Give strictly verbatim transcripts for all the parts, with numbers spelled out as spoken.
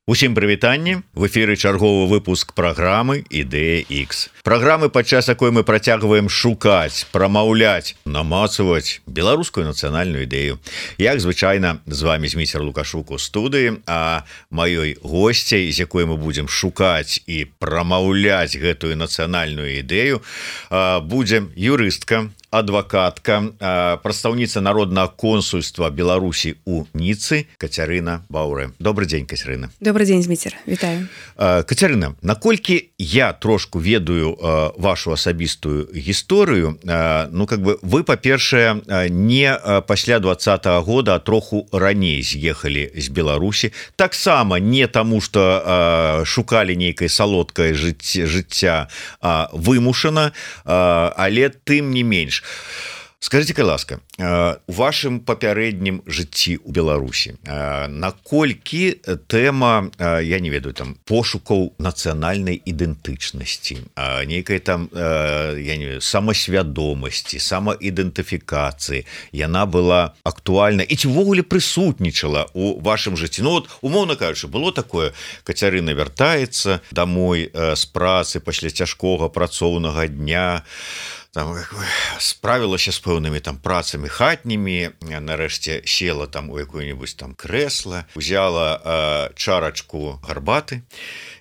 Усім прывітанне, в эфіры чарговы выпуск праграмы Ідэя Х. Праграмы, падчас якой мы працягваем шукаць, прамаўляць, намацаваць беларускую нацыянальную ідэю. Як звычайна, з вами Зміцер Лукашук у студыі, а маёй госцяй, з якой мы будзем шукаць і прамаўляць гэтую нацыянальную ідэю, будзе юрыстка, адвакатка, прадстаўніца народнага консульства Беларусі у Ніцы Кацярына Баўрэ. Добрый дзень, Кацярына. Добрый дзень, Зміцер. Вітаю. Кацярына, наколькі я трошку ведаю вашу асабістую гісторыю, ну как бы вы, па-першае, не пасля двадцатага года, а троху раней з'ехалі з Беларусі. Таксама не таму, што шукалі нейкае салодкае жыцця вымушана, але тым не менш. Скажите-ка, ласка, у вашым папярэднім жыцці ў Беларусі наколькі тэма, я не ведаю, там пошукаў нацыянальнай ідэнтычнасці, нейкай там, я не ведаю, самасвядомасці, самаідэнтыфікацыі, яна была актуальна і ці ўвогуле прысутнічала у вашым жыцці? Ну вот, умоўна кажучы, было такое, Кацярына вяртаецца домой з працы пасля цяжкога працоўнага дня, там справілася з пэўнымі там працамі хатнімі, нарэшце села там у якое-нибудь там крэсла, узяла э, чарачку гарбаты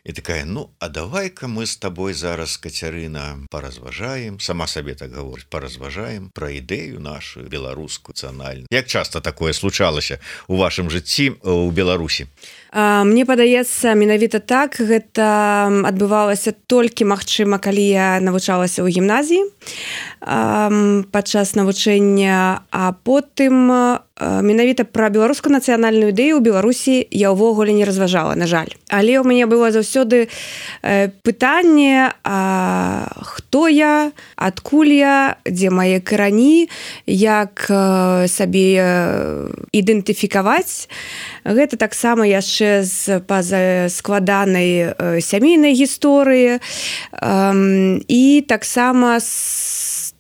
і такая, ну, а давай-ка мы з табой зараз, Кацярына, паразважаем, сама сабе так гаворыць, паразважаем пра ідэю нашу беларускую нацыянальную. Як часта такое случалася у вашым жыцці у Беларусі? Мне падаецца, менавіта так, гэта адбывалася толькі, магчыма, калі я навучалася ў гімназіі падчас навучання, а потым менавіта пра беларускую нацыянальную ідэю ў Беларусі я ўвогуле не разважала, на жаль. Але ў мяне было заўсёды пытанне, а хто я, адкуль я, дзе мае карані, як сабе ідэнтыфікаваць. Гэта таксама яшчэ з па-за складанай сямейнай гісторыі і таксама з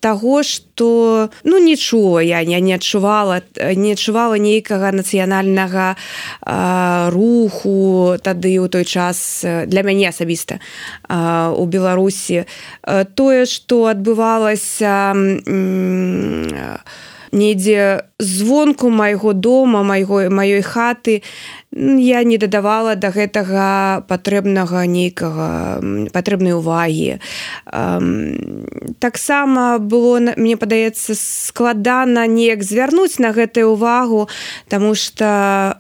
таго, што ну не чула я, я не адчувала, не адчувала нейкага нацыянальнага а, руху тады ў той час для мяне асабіста а, у Беларусі. А, тое, што адбывалася м, недзе звонку майго дома, майго, маёй хаты, я не дадавала да гэтага патрэбнага нейкага, патрэбнай увагі. Таксама было, мне падаецца, складана неяк звярнуць на гэтую увагу, таму што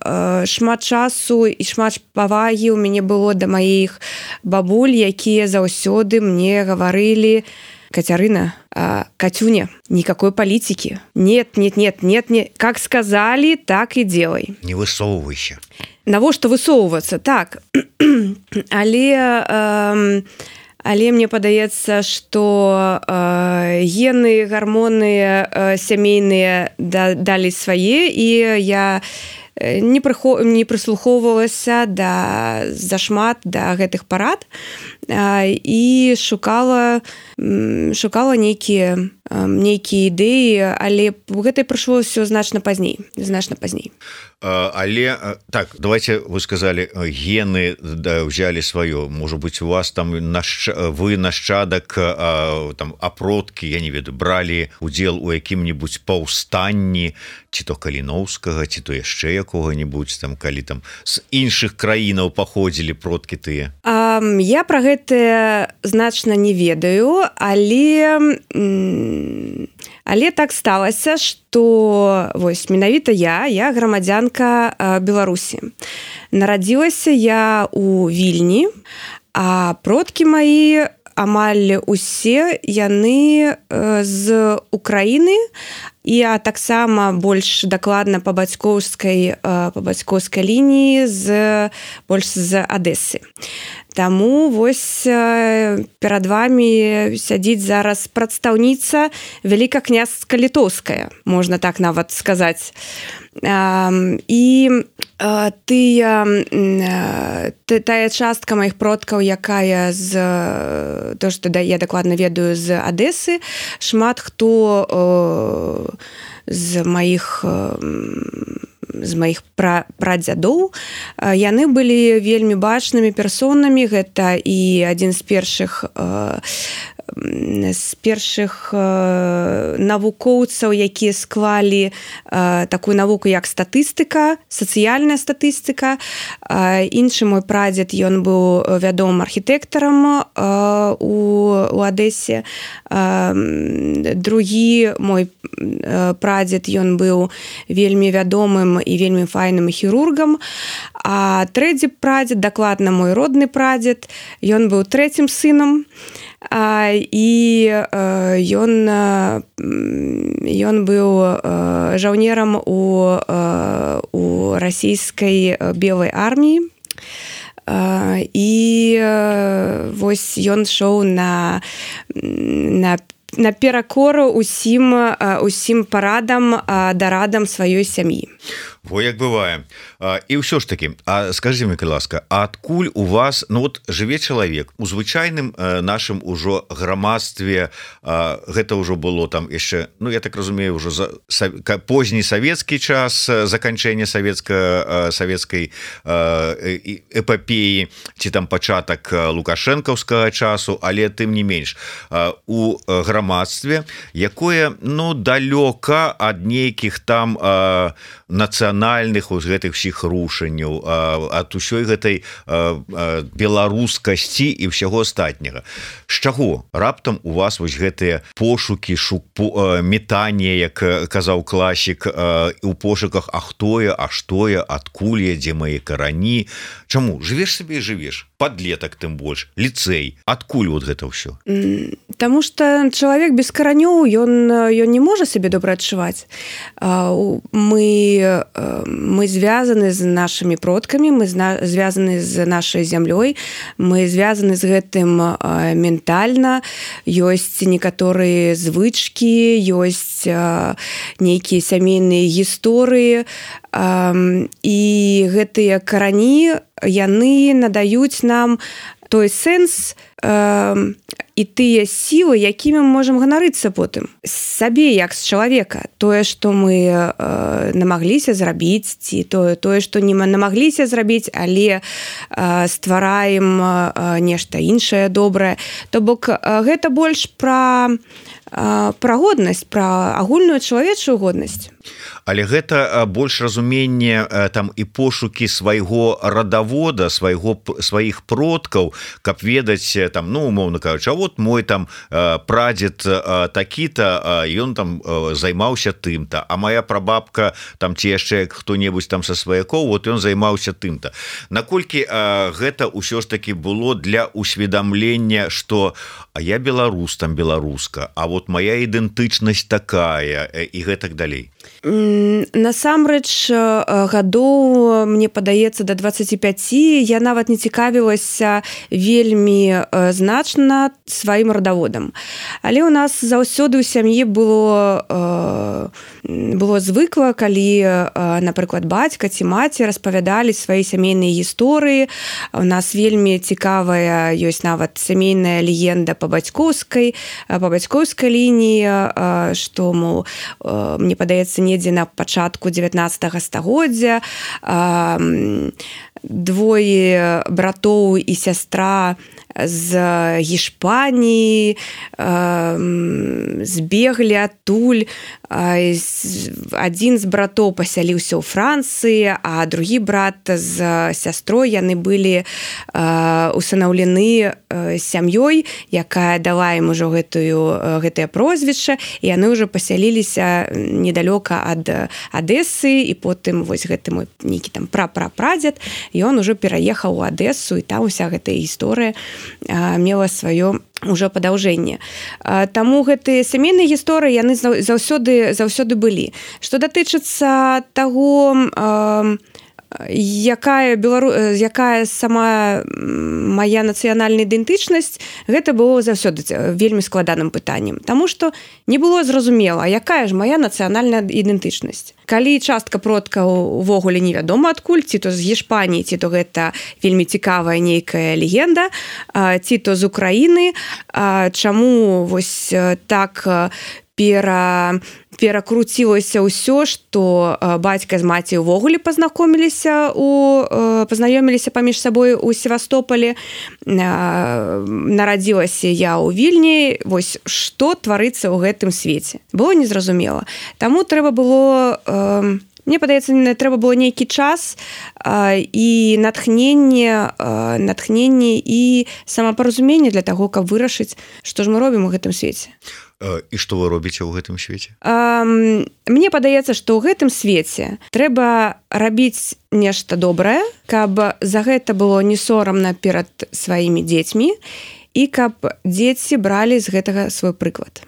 шмат часу і шмат павагі ў мяне было да маіх бабуль, якія заўсёды мне гаварылі: Кацярына, а, Катюня, никакой политики. Нет, нет, нет, нет, нет. Как сказали, так и делай. Не высовывайся. Навошта высовываться? Так. Але, э, але мне падаецца, што э, гены, гормоны э, сямейныя да, далі свае, і я не, прыхо... не прыслухоўвалася да, зашмат да гэтых парад і шукала, шукала нейкія, нейкія ідэі, але гэта прыйшло ўсё значна пазней, значна пазней. Але так, давайте, вы сказали, гены да, взяли свое, может быть, у вас там нащ... вы нащадак там апродкі, я не ведаю, брали удзел у якім-нибудь паўстанні, ці то Каліноўскага, ці то яшчэ якога-нибудь там, калі там з іншых краінаў паходзілі продкі тыя? А, я пра гэта значна не ведаю, але але так сталася, што вось менавіта я, я грамадзянка Беларусі. Нарадзілася я у Вільні, а продкі маі амаль усе яны з Украіны, і а таксама больш дакладна па бацькоўскай па бацькоўскай лініі з больш з Адэсы. Таму вось перад вами сядзіць зараз прадстаўніца вялікакняства літоўская, можна так нават сказаць. І тыя, тая частка маіх продкаў, якая з то, што я дакладна ведаю з Адэсы, шмат хто з маіх з маіх пра, прадзядоў. Яны былі вельмі бачнымі персонамі. Гэта і адзін з першых з першых э, навукоўцаў, якія склалі э, такую навуку як статыстыка, сацыяльная статыстыка. Э, іншы мой прадзед, ён быў вядомым архітэктарам э, у, у Адэсе. Э, другі мой э, прадзед, ён быў вельмі вядомым і вельмі файным хірургам. А трэці прадзед, дакладна мой родны прадзед, ён быў трэцім сынам. А, і ён ён быў жаўнерам у, у расійскай белай арміі. І вось ён шоў на, на наперакор усім, усім парадам, дарадам сваёй сям'і. Во як бывае. І ўсё ж таки, а скажи мне, ласка, а адкуль у вас, ну вот жыве чалавек у звычайным нашым ужо грамадстве, гэта ўжо было там яшчэ, ну я так разумею, ўжо за позні савецкі час, заканчэння савецка савецкай эпапеі, ці там пачатак лукашэнкаўскага часу, але тым не менш у грамадстве, якое, ну, далёка ад нейкіх там нацыянальных у гэтых всіх рушанняў, ад усёй гэтай беларускасці і ўсяго астатняга. З чаго раптам у вас вось гэтыя пошукі, метанне, як казаў класік, у пошуках, а хто я, а што я, адкуль я, дзе мае карані? Чаму? Жывеш сабе і жывеш. Падлетак тым больш, ліцэй. Адкуль вот гэта ўсё? Таму што чалавек без каранёў, ён, ён не можа сябе добра адчуваць. Мы, мы звязаны з нашымі продкамі, мы звязаны з нашай зямлёй, мы звязаны з гэтым ментальна. Ёсць некаторыя звычкі, ёсць нейкія сямейныя гісторыі, і гэтыя карані, яны надаюць нам той сэнс э, і тыя сілы, якімі мы можам ганарыцца потым. Сабе, як з чалавека. Тое, што мы э, намагліся зрабіць, ці тое, тое, што не намагліся зрабіць, але э, ствараем э, нешта іншае добрае. То бок э, гэта больш пра, э, пра годнасць, пра агульную чалавечую годнасць. Але гэта больш разуменне там і пошукі свайго радавода, свайго сваіх продкаў, каб ведаць там, ну умоўна кажучы, а вот мой там прадзед такі-то, ён там займаўся тым-то, а моя прабабка там ці яшчэ хто-небудзь там са сваякоў, вот ён займаўся тым-то. Наколькі гэта ўсё ж таки было для усведамлення, што а я беларус, там беларуска, а вот моя ідэнтычнасць такая і гэтак далей. Насамрэч, гадоў, мне падаецца, да дваццаці пяці я нават не цікавілася вельмі значна сваім радаводам. Але ў нас заўсёды ў сям'і было, было звыкла, калі, напрыклад, бацька ці маці распавядалі свае сямейныя гісторыі. У нас вельмі цікавая ёсць нават сямейная легенда па бацькоўскай, па бацькоўскай лініі, што, мол, мне падаецца, недзе на пачатку дзевятнаццатага стагоддзя двое братоў і сястра з Гішпаніі збеглі адтуль. Адзін з братоў пасяліўся ў Францыі, а другі брат з сястрой, яны былі усынаўлены сям'ёй, якая дала ім ужо гэтую, гэтае прозвішча, і яны ўжо пасяліліся недалёка ад Адэсы, і потым вось гэты мой нейкі там пра-пра-прадзед, ён ужо пераехаў у Адэсу, і там уся гэтая гісторыя мела сваё ўжо падаўжэнне. Таму гэтыя сямейныя гісторыі, яны заўсёды, заўсёды былі. Што датычыцца таго, якая, белару... якая сама моя нацыянальная ідэнтычнасць, гэта было заўсёды вельмі складаным пытаннем. Таму што не было зразумела, якая ж моя нацыянальная ідэнтычнасць. Калі частка продкаў увогуле невядома адкуль, ці то з Гішпаніі, ці то гэта вельмі цікавая нейкая легенда, ці то з Украіны, чаму вось так пера перакруцілася ўсё, што бацька з маці ўвогуле пазнакоміліся у пазнаёміліся паміж сабой у Севастополі. Нарадзілася я ў Вільні. Вось што тварыцца ў гэтым свеце. Было незразумела. Таму трэба было, мне падаецца, трэба было нейкі час і натхненне, натхненне і самапаразуменне для таго, каб вырашыць, што ж мы робім у гэтым свеце. І што вы робіце ў гэтым свеце? Мне падаецца, што ў гэтым свеце трэба рабіць нешта добрае, каб за гэта было не сорамна перад сваімі дзецьмі і каб дзеці бралі з гэтага свой прыклад.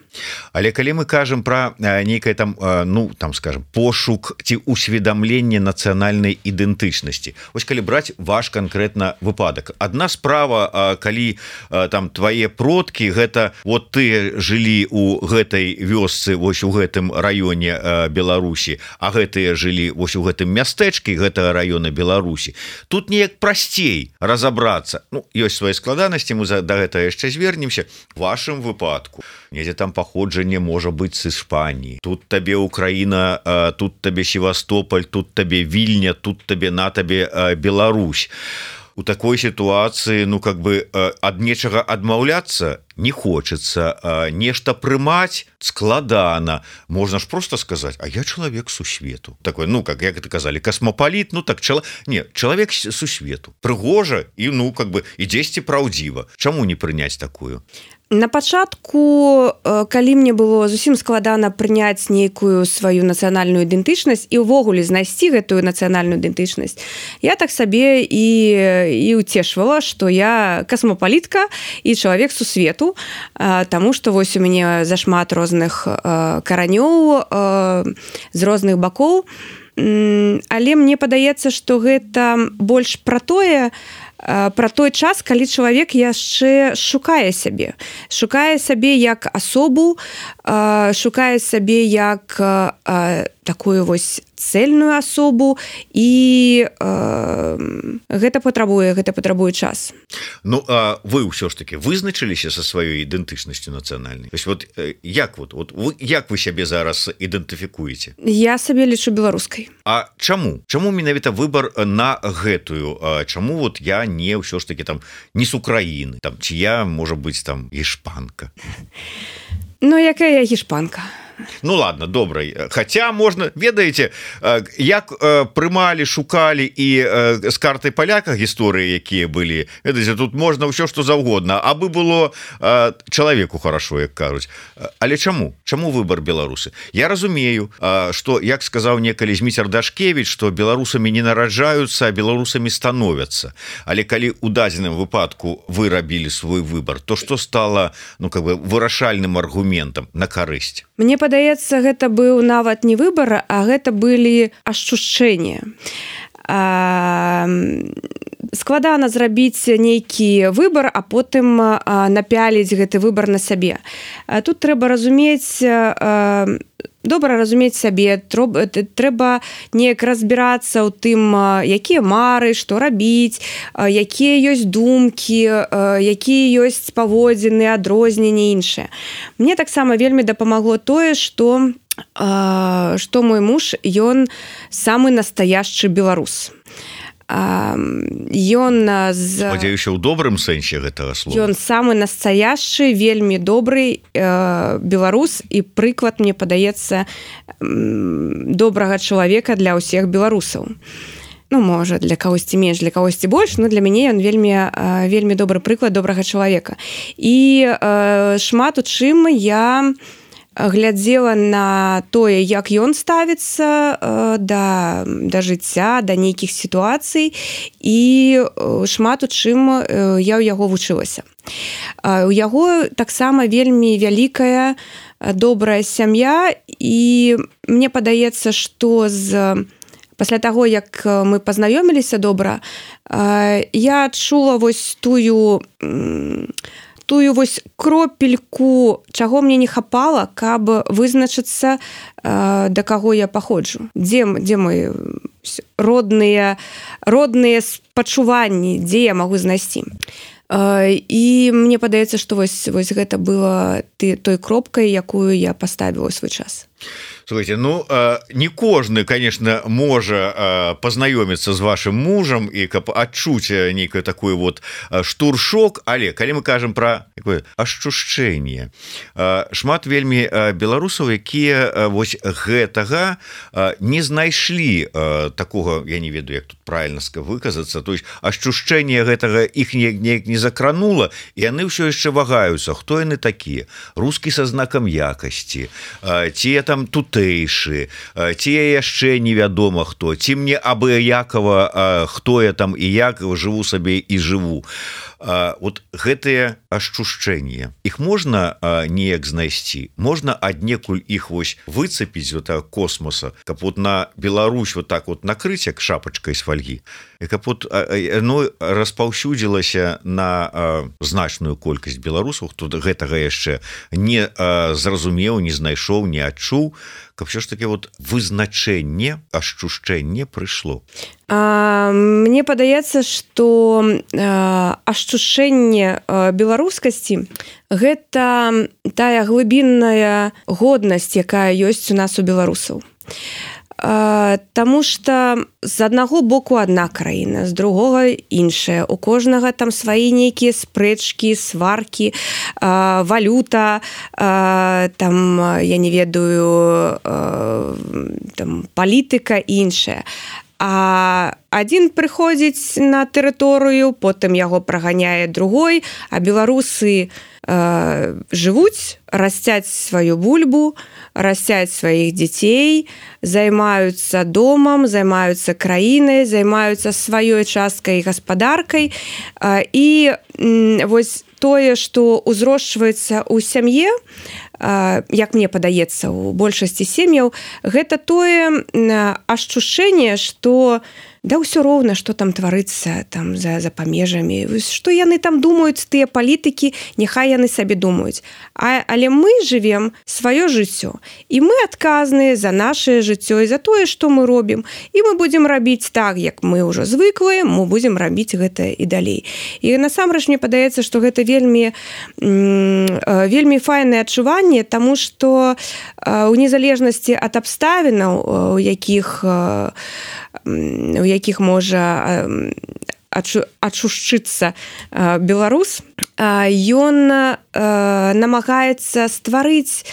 Але калі мы кажам пра нейкае там, ну, там, скажем, пошук ці усведамленне нацыянальнай ідэнтычнасці. Вось калі браць ваш канкрэтна выпадак. Адна справа, калі там твае продкі, гэта вот ты жылі у гэтай вёсцы, вось у гэтым раёне Беларусі, а гэтыя жылі вось у гэтым мястэчкі гэтага раёна Беларусі. Тут неяк прасцей разабрацца. Ну, ёсць свае складанасці, мы да гэтага яшчэ звернемся. В вашым выпадку недзе там паходжанне можа быць з Іспаніі. Тут табе Украіна, тут табе Севастополь, тут табе Вільня, тут табе на табе Беларусь. У такой сітуацыі, ну, как бы ад нечага адмаўляцца не хочется, нешта прымаць складана. Можна ж просто сказаць: а я чалавек сусвету. Такой, ну, как як это казалі, касмапаліт, ну так чала... не, чалавек сусвету. Прыгожа і, ну, как бы і дзесьці праўдзіва. Чаму не прыняць такую? На пачатку, калі мне было зусім складана прыняць нейкую сваю нацыянальную ідэнтычнасць і ўвогуле знайсці гэтую нацыянальную ідэнтычнасць, я так сабе і, і уцешвала, што я касмапалітка і чалавек сусвету, таму што вось у мяне зашмат розных каранёў з розных бакоў. Але мне падаецца, што гэта больш пра тое, пра той час, калі чалавек яшчэ шукае сябе. Шукае сябе як асобу, шукае сябе як такую вось цельную асобу, і гэта патрабуе, гэта патрабуе час. Ну, а вы ўсё ж таки вызначыліся са сваёй ідэнтычнасцю нацыянальнай? То есть вот як вот, вот вы, як вы сябе зараз ідэнтыфікуеце? Я сабе лічу беларускай. А чаму? Чаму менавіта выбар на гэтую? Чаму вот я не ўсё ж таки там не з Украіны, там ці я, можа быць, там гішпанка? Ну, якая я гішпанка? Ну ладно, добра. Хаця можна, ведаеце, як прымалі, шукалі і з картай паляка гісторыі, якія былі, ведаеце, тут можна ўсё што заўгодна, абы было чалавеку хорошо, як кажуць. Але чаму? Чаму выбар беларусы? Я разумею, што, як сказаў некалі Зміцер Дашкевіч, што беларусамі не нараджаюцца, а беларусамі становяцца. Але калі ў дадзеным выпадку вы рабілі свой выбар, то што стала, ну, как бы вырашальным аргументам на карысць? Мне падаецца, гэта быў нават не выбар, а гэта былі ашчушчэнні. Складана зрабіць нейкі выбар, а потым напяліць гэты выбар на сябе. Тут трэба разумець, добра разумець сябе, трэба неяк разбірацца ў тым, якія мары, што рабіць, якія ёсць думкі, якія ёсць паводзіны, адрозненні, іншыя. Мне таксама вельмі дапамагло тое, што што мой муж, ён самы настаяшчы беларус. Ён з... Спадзяюся, ў добрым сэнсе гэтага слова. Ён самы настаяшчы, вельмі добры беларус, і прыклад, мне падаецца, добрага чалавека для ўсіх беларусаў. Ну, можа, для кагосьці менш, для кагосьці больш, но для мяне ён вельмі, вельмі добры прыклад добрага чалавека. І шмат у чым я глядзела на тое, як ён ставіцца да, да жыцця, да нейкіх сітуацый, і шмат у чым я ў яго вучылася. У яго таксама вельмі вялікая добрая сям'я, і мне падаецца, што з пасля таго, як мы пазнаёміліся добра, я адчула вось тую тую вось кропельку, чаго мне не хапала, каб вызначыцца, да каго я паходжу. Дзе, дзе мои родныя, родныя спачуванні, дзе я магу знайсці. і мне падаецца, што вось, вось гэта было ты, той кропкай, якую я паставіла свой час. Слушайте, ну не кожны, конечно, можа познаёміцца з вашим мужам і каб адчуць нейкае такое вот штуршок, але калі мы кажам про ашчушчэнне, шмат вельмі беларусаў, якія вось гэтага не знайшлі такого, я не ведаю, як тут правильно выказацца, то есть ашчушчэнне гэтага іх неяк не закранула, і яны ўсё яшчэ вагаюцца, хто яны такія, рускі са знакам якасці, ці там тутэйшы, ці яшчэ невядома хто, ці мне абыякава, хто я там і як жыву сабе і жыву. Вот гэтыя ашчушчэнні, іх можна неяк знайсці, можна аднекуль іх вось выцепіць вот космоса, каб вот на Беларусь вот так вот накрыць як шапачкай з фольгі, і каб вот ну, распаўсюдзілася на значную колькасць беларусаў, хто гэтага яшчэ не зразумеў, не знайшоў, не адчуў, каб все ж таки вот вызначэнне, ашчушчэнне прыйшло. А, мне падаецца, што ашчушчэнне беларускасці гэта тая глыбінная годнасць, якая ёсць у нас у беларусаў. Таму што з аднаго боку адна краіна, з другога іншая. У кожнага там свае нейкія спрэчкі, сваркі, валюта, там, я не ведаю, там, палітыка і іншая. А адзін прыходзіць на тэрыторыю, потым яго праганяе другой, а беларусы э, жывуць, расцяць сваю бульбу, расцяць сваіх дзяцей, займаюцца домам, займаюцца краінай, займаюцца сваёй часткай гаспадаркай. Э, і э, вось тое, што ўзрошчваецца ў сям'е, як мне падаецца, у большасці сем'яў, гэта тое ашчушчэнне, што да ўсё роўна, што там тварыцца там за, за памежамі, што яны там думаюць, тыя палітыкі, няхай яны сабе думаюць. А, але мы жывем сваё жыццё, і мы адказныя за нашае жыццё і за тое, што мы робім, і мы будзем рабіць так, як мы ўжо звыклыя, мы будзем рабіць гэта і далей. І насамрэч мне падаецца, што гэта вельмі вельмі файнае адчуванне, таму што у незалежнасці ад абставінаў, у якіх у якіх можа адчушчыцца беларус, ён намагаецца стварыць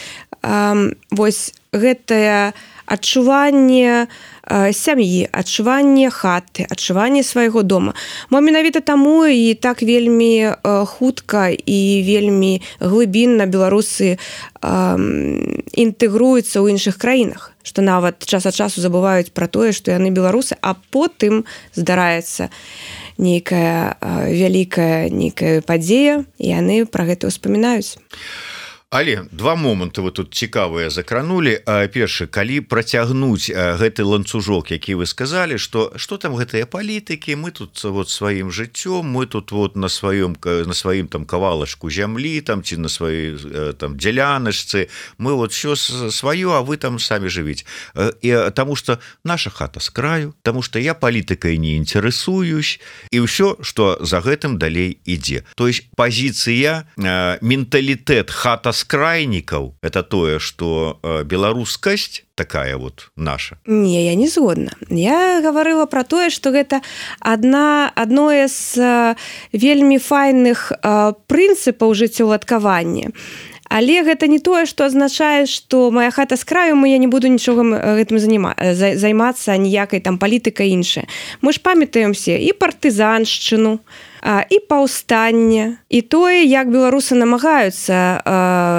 вось гэтае адчуванне сям'і, адчуванне хаты, адчуванне свайго дома. Мо менавіта таму і так вельмі хутка і вельмі глыбінна беларусы інтэгруюцца ў іншых краінах, што нават час ад часу забываюць пра тое, што яны беларусы, а потым здараецца нейкая вялікая нейкая падзея, і яны пра гэта ўспамінаюць. Але два моманты вы тут цікавыя закранулі. Першы, калі працягнуць гэты ланцужок, які вы сказалі, што што там гэтыя палітыкі, мы тут вот сваім жыццём, мы тут вот на сваём на сваім там кавалачку зямлі, там ці на сваёй там дзяляначцы, мы вот всё сваё, а вы там самі жывіць. І таму што наша хата з краю, таму што я палітыкай не інтарэсуюсь, і ўсё, што за гэтым далей ідзе. То есть пазіцыя, менталітэт хата з крайнікаў, это тое, што беларускасць такая вот наша. Не, я не згодна. Я гаварыла пра тое, што гэта адна адное з вельмі файных прынцыпаў жыццёўладкавання. Але гэта не тое, што азначае, што моя хата з краю, я не буду нічога гэтым займацца, ніякай там палітыкай іншая. Мы ж памятаем все і партызаншчыну, і паўстанне, і тое, як беларусы намагаюцца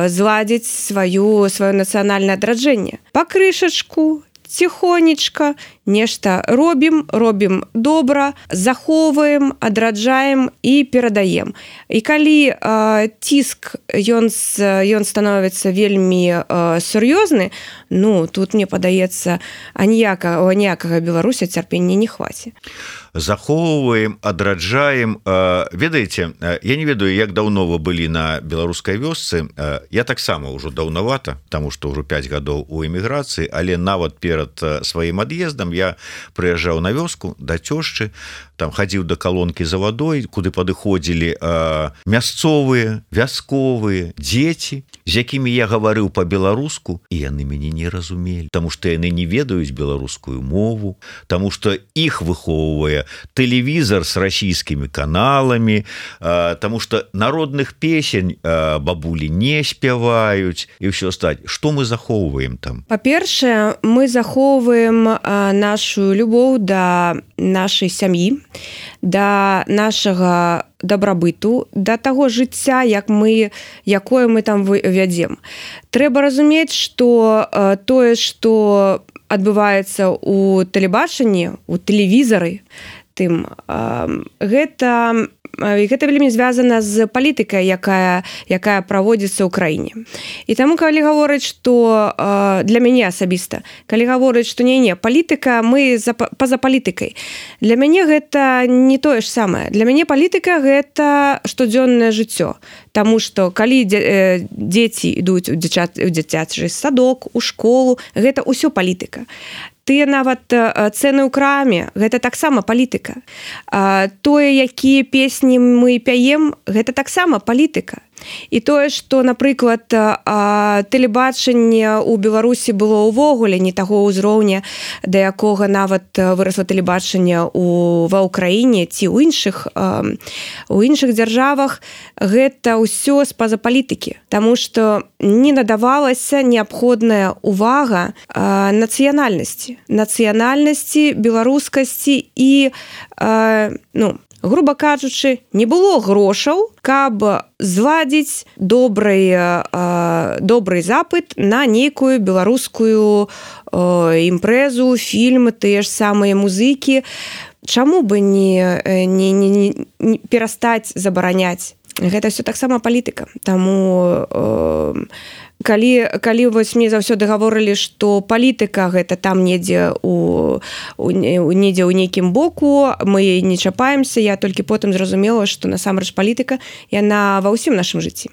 зладзіць сваю, сваё нацыянальнае адраджэнне. Пакрышачку, ціхонечка, нешта робім, робім добра, захоўваем, адраджаем і перадаем. І калі э, ціск ён, ён становіцца вельмі э, сур'ёзны, ну тут мне падаецца аніякага аніякага Беларуся цярпення не хваце. Захоўваем, адраджаем. Ведаеце, я не ведаю, як даўно вы былі на беларускай вёсцы. Я таксама ўжо даўнавата, таму што ўжо пяць гадоў у эміграцыі, але нават перад сваім ад'ездам я прыязджаў на вёску да цёшчы, там хадзіў да калонкі за вадой, куды падыходзілі мясцовыя, вясковыя, дзеці, з якімі я гаварыў па-беларуску, і яны мяне не разумелі, таму што яны не ведаюць беларускую мову, таму што іх выхоўвае тэлевізор с расійскімі каналамі, таму што народных песень бабулі не спяваюць і ўсё астатняе. Што мы захоўваем там? Па-першае, мы захоўваем нашу любоў да нашай сям'і, да нашага дабрабыту, да таго жыцця, як мы, якое мы там вядзем. Трэба разумець, што тое, што адбываецца ў тэлебачанні, у тэлевізары, тым гэта гэта вельмі звязана з палітыкай, якая якая праводзіцца ў краіне. І таму калі гаворыць, што для мяне асабіста, калі гаворыць, што не не палітыка, мы па-за палітыкай, для мяне гэта не тое ж самае. Для мяне палітыка гэта штодзённае жыццё. Таму што калі дзеці ідуць у дзіцячы садок, у школу, гэта ўсё палітыка. Тыя нават цэны ў краме, гэта таксама палітыка. Тое, якія песні мы пяем, гэта таксама палітыка. І тое, што, напрыклад, тэлебачанне ў Беларусі было ўвогуле не таго ўзроўня, да якога нават вырасла тэлебачанне ва ўкраіне ці ў іншых, у іншых дзяржавах, гэта ўсё з-па-за палітыкі. Таму што не надавалася неабходная ўвага нацыянальнасці. Нацыянальнасці, беларускасці і, ну, груба кажучы, не было грошаў, каб зладзіць добрый, добрый запыт на нейкую беларускую імпрэзу, фільм, тыя ж самыя музыкі. Чаму бы не, не, не, не перастаць забараняць? Гэта ўсё таксама палітыка. Таму калі, калі вось мне заўсёды гаворылі, што палітыка гэта там недзе у, у, недзе ў нейкім боку, мы не чапаемся, я толькі потым зразумела, што насамрэч палітыка, яна ва ўсім нашым жыцці.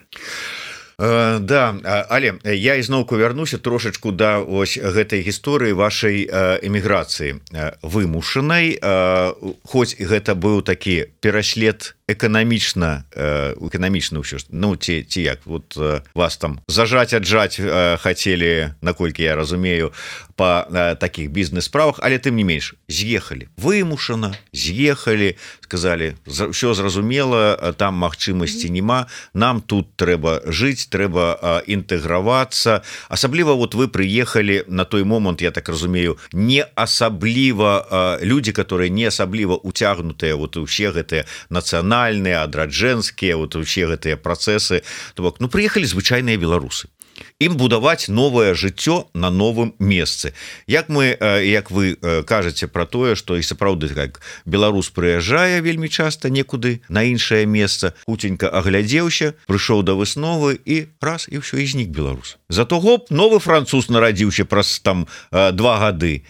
Uh, да, але я ізноўку вярнуся трошачку да ось гэтай гісторыі вашай uh, эміграцыі uh, вымушанай, uh, хоць гэта быў такі пераслед эканамічна э, эканамічна ўсё, ну ці, ці як вот э, вас там зажаць аджаць э, хацелі, наколькі я разумею, па э, такіх бізнес-справах, але тым не менш з'ехалі вымушана, з'ехалі, сказалі ўсё зразумела, там магчымасці няма, нам тут трэба жыць, трэба э, інтэгравацца. Асабліва вот вы прыехалі на той момант, я так разумею, не асабліва э, людзі, которые не асабліва уцягнутыя вот усе гэтыя нацыянальныя, адраджэнскія, вот усе гэтыя працэсы. То бок, ну прыехалі звычайныя беларусы. Ім будаваць новае жыццё на новым месцы. Як мы, як вы кажаце пра тое, што і сапраўды как беларус прыязджае вельмі часта некуды на іншае месца, хуценька аглядзеўся, прыйшоў да высновы і раз і ўсё, і знік беларус. Зато гоп, новы француз нарадзіўся праз там два гады.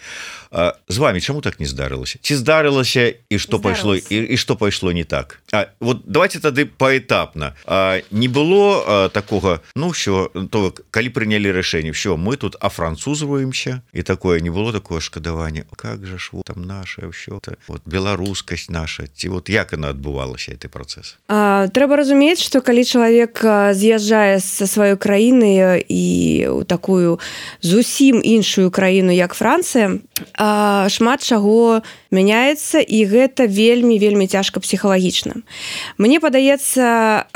З вами чаму так не здарылася? Ці здарылася і што пайшло і, і што пайшло не так? А вот давайте тады паэтапна. А, не было а, такога, ну ўсё, то калі прынялі рашэнне, ўсё, мы тут афранцузваемся, і такое не было такое шкадаванне. Как же ж вот там наша ўсё, вот беларускасць наша, ці вот як яна адбывалася гэты працэс? А, трэба разумець, што калі чалавек з'язджае са сваёй краіны і ў такую зусім іншую краіну, як Францыя, шмат чаго мяняецца, і гэта вельмі вельмі цяжка псіхалагічна. Мне падаецца,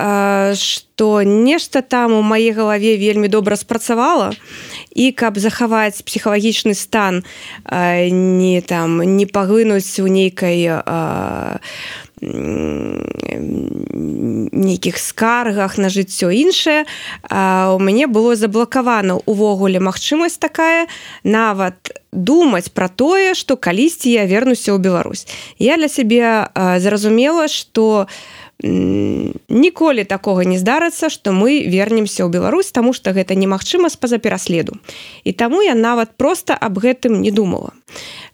што нешта там у маёй галаве вельмі добра спрацавала, і каб захаваць псіхалагічны стан, не там не паглынуць у нейкай нейкіх скаргах на жыццё іншае, у мяне было заблакавана увогуле магчымасць такая нават думаць пра тое, што калісьці я вернуся ў Беларусь. Я для сябе зразумела, што ніколі такога не здарыцца, што мы вернемся ў Беларусь, таму што гэта немагчыма з-па-за пераследу. І таму я нават проста аб гэтым не думала.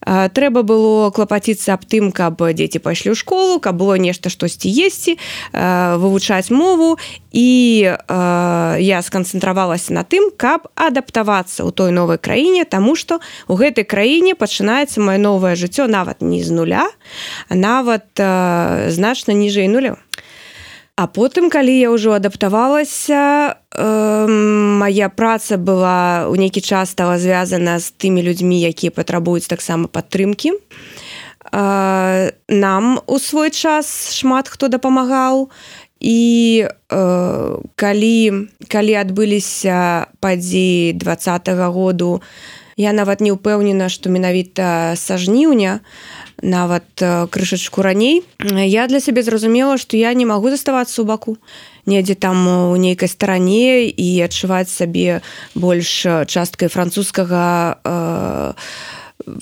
Трэба было клапаціцца аб тым, каб дзеці пайшлі ў школу, каб было нешта штосьці есці, вывучаць мову, і я сканцэнтравалася на тым, каб адаптавацца ў той новай краіне, таму што ў гэтай краіне пачынаецца маё новае жыццё нават не з нуля, а нават значна ніжэй нуля. А потым, калі я ўжо адаптавалася, э, моя праца была ў нейкі час стала звязана з тымі людзьмі, якія патрабуюць таксама падтрымкі. Э, нам у свой час шмат хто дапамагаў, і э, калі, калі адбыліся падзеі двадцатага году, я нават не ўпэўнена, што менавіта са жніўня, нават крышачку раней, я для сябе зразумела, што я не магу заставацца ў баку, недзе там у нейкай старане і адчуваць сабе больш часткай французскага э,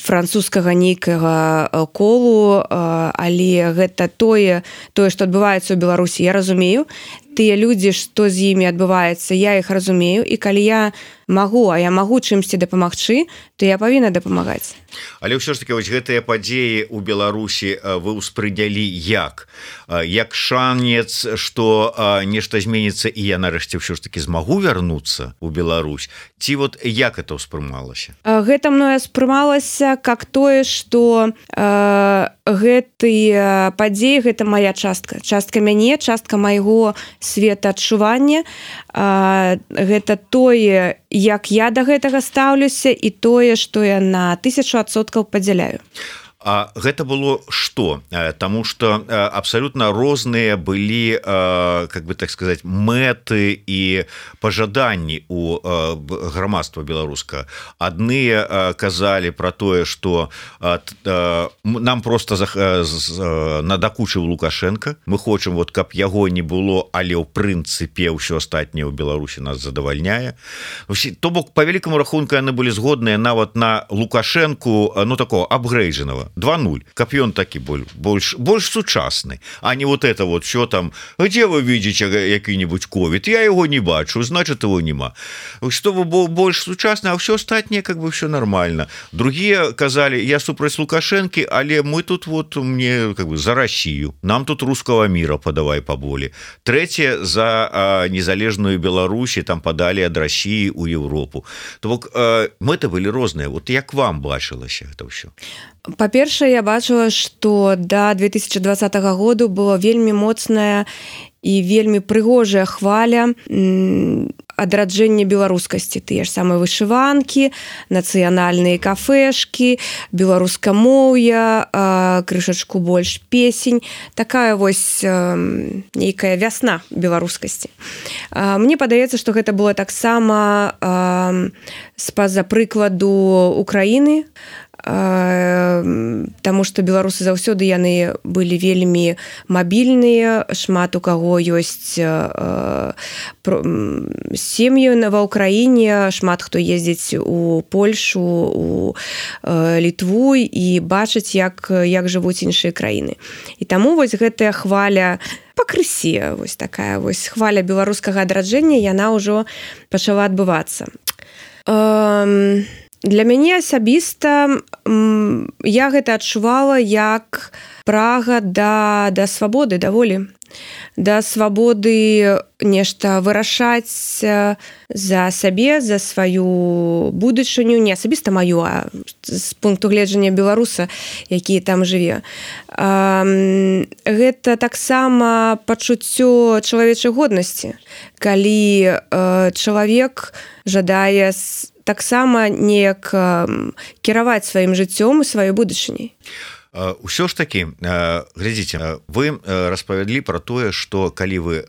французскага нейкага колу, але гэта тое, тое, што адбываецца ў Беларусі, я разумею. Тыя людзі, што з імі адбываецца, я іх разумею, і калі я магу, а я магу чымсьці дапамагчы, то я павінна дапамагаць. Але ўсё ж таки вось гэтыя падзеі ў Беларусі вы ўспрынялі як? Як шанец, што нешта зменіцца, і я нарэшце ўсё ж таки змагу вярнуцца ў Беларусь? Ці вот як это ўспрымалася? Гэта мною спрымалася как тое, што э, гэтыя падзеі, гэта моя частка. Частка мяне, частка майго светаадчування. Э, гэта тое, як я да гэтага стаўлюся, і тое, што я на тысячу адсоткаў падзяляю. А гэта было што? Таму што абсалютна розныя былі, как бы так сказаць, мэты і пажаданні у грамадства беларуска. Адныя казалі пра тое, што нам проста надакучыў Лукашенко. Мы хочам, вот, каб яго не было, але ў прынцыпе ўсё астатняе ў Беларусі нас задавальняе. То бок, па вялікаму рахунку, яны былі згодныя нават на Лукашенку, ну, такого апгрейджанага. два нуль, каб ён такі больш, больш сучасны, а не вот это вот все там, где вы видите які-нибудь ковід, я его не бачу, значит его нема. Что вы больш сучасны, а все астатняе как бы все нормально. Другие казали, я супраць Лукашенки, але мы тут вот мне как бы за Россию, нам тут русского мира подавай поболе. Третье за а, незалежную Беларусь, там подали ад России у Европу. То бок а, мэты былі розныя. Вот як вам бачылася это ўсё? Па-першае, я бачыла, што да две тысячи двадцатага году была вельмі моцная і вельмі прыгожая хваля адраджэння беларускасці. Тыя ж самыя вышыванкі, нацыянальныя кафешкі, беларускамоўя, крышачку больш песень. Такая вось нейкая вясна беларускасці. Мне падаецца, што гэта было таксама з-па-за прыкладу Украіны, таму што беларусы заўсёды яны былі вельмі мабільныя, шмат у каго ёсць сем'і ва ўкраіне, шмат хто ездзіць у Польшу, у Літву і бачыць, як, як жывуць іншыя краіны. І таму вось гэтая хваля пакрысе, вось такая вось хваля беларускага адраджэння, яна ўжо пачала адбывацца. Для мяне асабіста я гэта адчувала як прага да, да свабоды, да волі. Да свабоды нешта вырашаць за сабе, за сваю будучыню, не асабіста маю, а з пункту гледжання беларуса, які там жыве. Гэта таксама пачуццё чалавечай годнасці, калі чалавек жадае таксама неяк кіраваць сваім жыццём і сваёй будучыняй. Усё ж таки, глядзіце, вы распавялі пра тое, што калі вы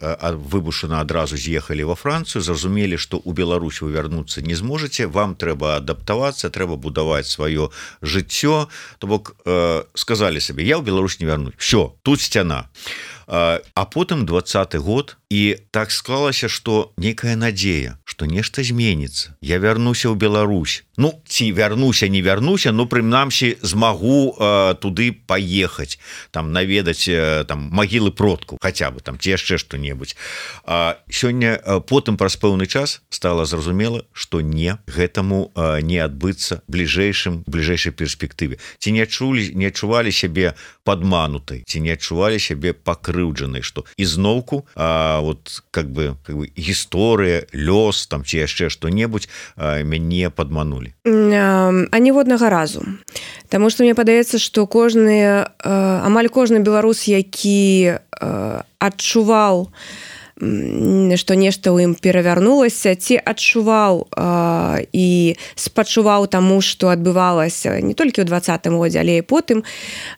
выбушана адразу з'ехалі ва Францыю, зразумелі, што ў Беларусь вы вярнуцца не зможаце, вам трэба адаптавацца, трэба будаваць сваё жыццё. То бок сказалі сабе, я ў Беларусь не вярнусь. Всё, тут сцяна. а потым двадцаты год, і так склалася, што некая надзея, што нешта зменіцца. Я вярнуся ў Беларусь. Ну, ці вярнуся, не вярнуся, но прынамсі змагу э, туды паехаць, там наведаць э, там магілы продкаў, хаця бы там ці яшчэ што-небудзь. А сёння э, потым праз пэўны час стала зразумела, што не, гэтаму э, не адбыцца бліжэйшым бліжэйшай перспектыве. Ці не адчулі, не адчувалі сябе падманутай, ці не адчувалі сябе пакрыўджанай, што ізноўку а, вот как бы, как бы гісторыя, лёс там ці яшчэ што-небудзь а, мяне падманулі. А ніводнага разу. Таму што мне падаецца, што кожны, амаль кожны беларус, які адчуваў, што нешта ў ім перавярнулася, ці адчуваў э, і спачуваў таму, што адбывалася не толькі ў двадцатым годзе, але і потым,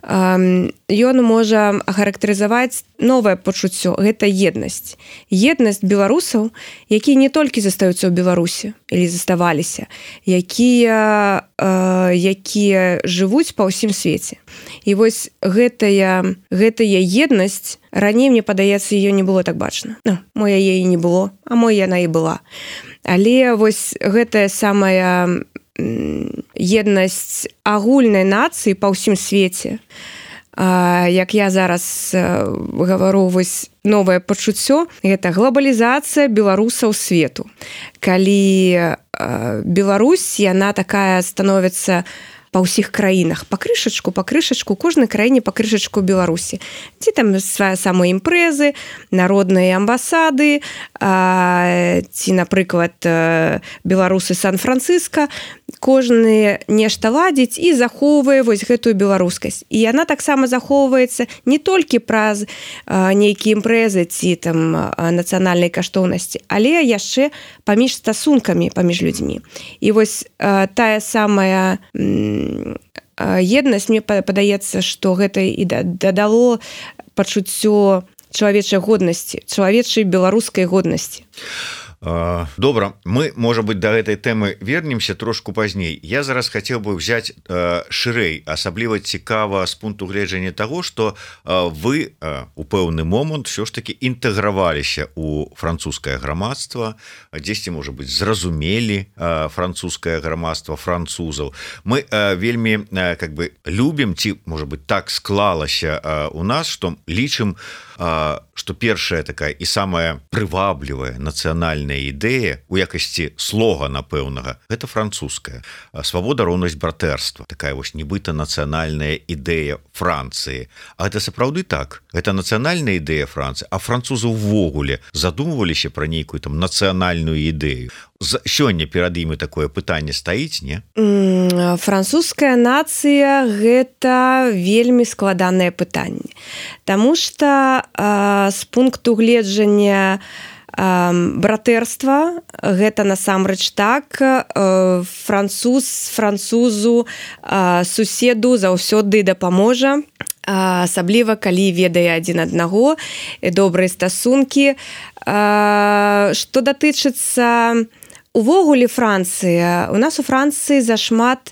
э, ён можа ахарактарызаваць новае пачуццё. Гэта еднасць. Еднасць беларусаў, якія не толькі застаюцца ў Беларусі, или заставаліся, якія, э, якія жывуць па ўсім свеце. І вось гэтая, гэтая еднасць, раней, мне падаецца, ее не было так бачна. Ну, мо яе і не было, а мо яна і была. Але вось гэтая самая еднасць агульнай нацыі па ўсім свеце, як я зараз гавару, вось новае пачуццё, гэта глобалізацыя беларусаў свету. Калі Беларусь, яна такая становіцца па ўсіх краінах, па крышачку, па крышачку, кожнай краіне па крышачку Беларусі. Ці там свае самыя імпрэзы, народныя амбасады, а, ці, напрыклад, беларусы Сан-Францыска, кожны нешта ладзіць і захоўвае вось гэтую беларускасць. І яна таксама захоўваецца не толькі праз а, нейкія імпрэзы ці там нацыянальнай каштоўнасці, але яшчэ паміж стасункамі паміж людзьмі. І вось а, тая самая еднасць, мне падаецца, што гэта і дадало пачуццё чалавечай годнасці, чалавечай беларускай годнасці. Добра, мы, можа быть, да гэтай тэмы вернемся трошку пазней. Я зараз хацеў бы взять э, шырэй, асабліва цікава з пункту гледжання таго, што э, вы э, у пэўны момант все ж таки інтэграваліся у французскае грамадства, дзесьці, можа быть, зразумелі э, французскае грамадства французаў. Мы э, вельмі э, как бы любім, ці, можа быть, так склалася э, у нас, што лічым, што першая такая і самая прываблівая нацыянальная ідэя у якасці слогана пэўнага, гэта французская. Свабода, роўнасць, братэрства. Такая вось нібыта нацыянальная ідэя Францыі. А гэта сапраўды так. Гэта нацыянальная ідэя Францыі, а французы ўвогуле задумваліся пра нейкую там нацыянальную ідэю. Сёння перад імі такое пытанне стаіць, не? Французская нацыя – гэта вельмі складанае пытанне. Таму што э, з пункту гледжання э, братэрства гэта насамрэч так, э, француз французу э, суседу заўсёды дапаможа, асабліва калі ведае адзін аднаго, добрыя стасункі. Э, што датычыцца увогуле Францыя, у нас у Францыі зашмат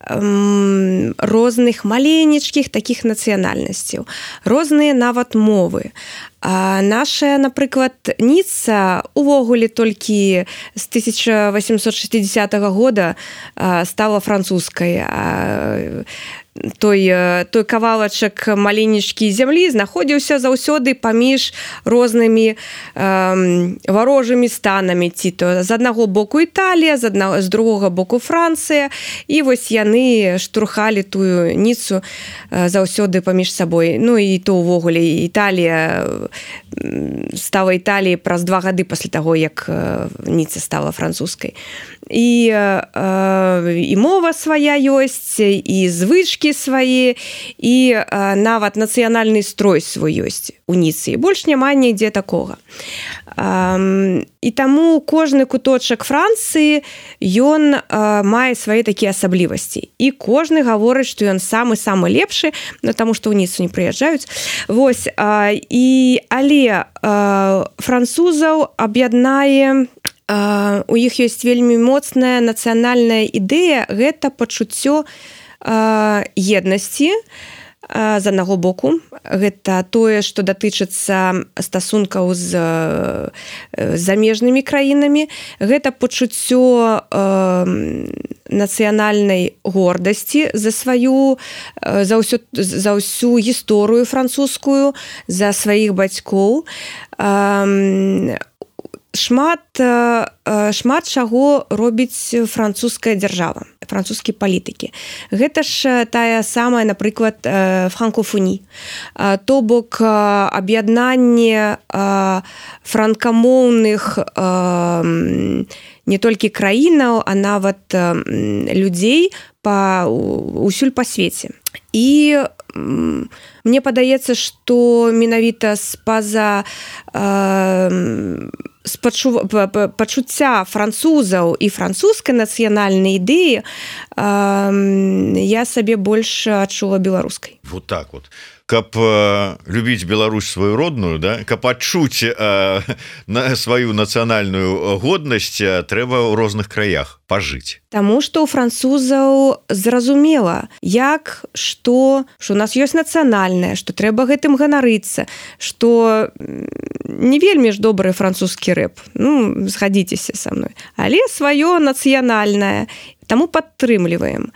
эм, розных маленечкіх такіх нацыянальнасцяў, розныя нават мовы. А наша, напрыклад, Ніцца увогуле толькі з тысяча восемьсот шестидесятого года стала французскай. Той, той кавалачак маленечкі зямлі знаходзіўся заўсёды паміж рознымі э, варожымі станамі, ці то з аднаго боку Італія, з, адна, з другога боку Францыя, і вось яны штурхалі тую Ніцу э, заўсёды паміж сабой. Ну і то ўвогуле Італія стала Італіяй праз два гады пасля таго, як э, Ніца стала французскай. І, э, і мова свая ёсць, і звычкі свае, і э, нават нацыянальны строй свой ёсць у Ніцы. Больш няма нідзе такога. Э, і таму кожны куточак Францыі, ён э, мае свае такія асаблівасці. І кожны гаворыць, што ён самы-самы лепшы, ну, таму што ў Ніцу не прыязджаюць. Вось, э, і, але э, французаў аб'яднае, у іх ёсць вельмі моцная нацыянальная ідэя, гэта пачуццё еднасці, з аднаго боку. Гэта тое, што датычыцца стасункаў з замежнымі краінамі. Гэта пачуццё нацыянальнай гордасці за сваю, за ўсю, за ўсю гісторыю французскую, за сваіх бацькоў. Шмат, шмат чаго робіць французская дзяржава, французскія палітыкі. Гэта ж тая самая, напрыклад, франкофоні. То бок аб'яднанне франкамоўных не толькі краінаў, а нават людзей па, усюль па свеце. І мне падаецца, што менавіта з-паза з пачуцця французаў і французскай нацыянальнай ідэі я сабе больш адчула беларускай. Вот так вот. Каб э, любіць Беларусь сваю родную, да, каб адчуць э, на сваю нацыянальную годнасць, трэба ў розных краях пажыць. Таму што ў французаў зразумела, як, што, што у нас ёсць нацыянальнае, што трэба гэтым ганарыцца, што не вельмі ж добры французскі рэп, ну, згадзіцеся са мной, але сваё нацыянальнае, таму падтрымліваем.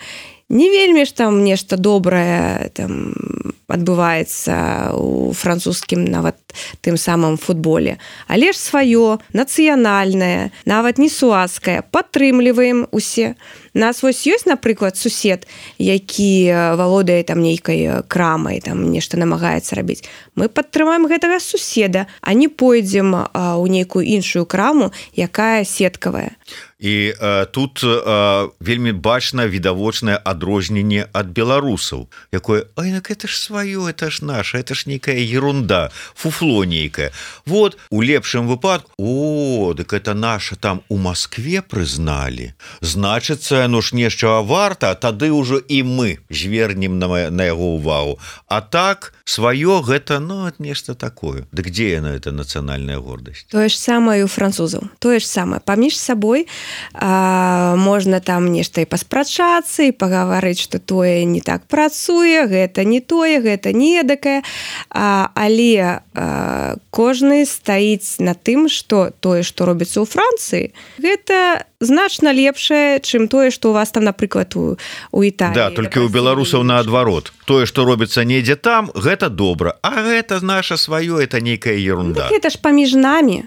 Не вельмі ж там нешта добрае там адбываецца ў французскім нават тым самым футболе. Але ж сваё, нацыянальнае, нават не суаскае, падтрымліваем усе. Нас вось ёсць, напрыклад, сусед, які валодае там нейкай крамай, там нешта намагаецца рабіць. Мы падтрымаем гэтага суседа, а не пойдзем ў нейкую іншую краму, якая сеткавая. І э, тут э, вельмі бачна відавочнае адрозненне ад беларусаў, якое, ай, так это ж сваё, это ж наша, это ж нейкая ерунда, фуфло нейкае. Вот, у лепшым выпадку, о, дык это наша там у Маскве прызналі. Значыцца, ну ж нешта варта, а тады ўжо і мы звернем на, на яго ўвагу. А так, сваё гэта, ну, нешта такое. Дык дзе яна, это нацыянальная гордасць? Тое ж самае у французаў. Тое ж самае. Паміж сабой А, можна там нешта і паспрачацца і пагаварыць, што тое не так працуе, гэта не тое, гэта не эдакае, а, але а, кожны стаіць на тым, што тое, што робіцца ў Францыі, гэта значна лепшае, чым тое, што у вас там, напрыклад, у, у Італіі. Да, толькі ў беларусаў наадварот. Тое, што робіцца недзе там, гэта добра, а гэта наша сваё, это нейкая ерунда. Ну, так гэта ж паміж намі.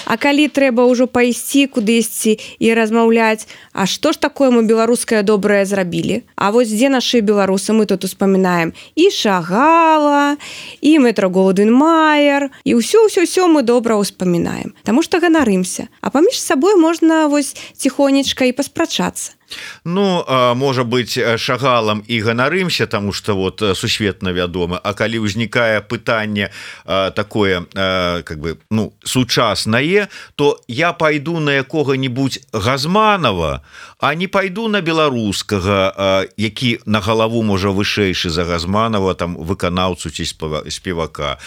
А калі трэба ўжо пайсці кудысьці і размаўляць, а што ж такое мы беларускае добрае зрабілі? А вось дзе нашы беларусы? Мы тут успамінаем і Шагала, і Метро-Голдвін-Маер, і ўсё-ўсё-ўсё мы добра ўспамінаем. Таму што ганарымся. А паміж сабой можна вось ціхонечка і паспрачацца. Ну, можа быць, Шагалам і ганарымся, таму што вот сусветна вядома, а калі ўзнікае пытанне такое, как бы, ну, сучаснае, то я пайду на якога-нибудь Газманова, а не пайду на беларускага, які на галаву можа вышэйшы за Газманова, там выканаўцу ці спевака.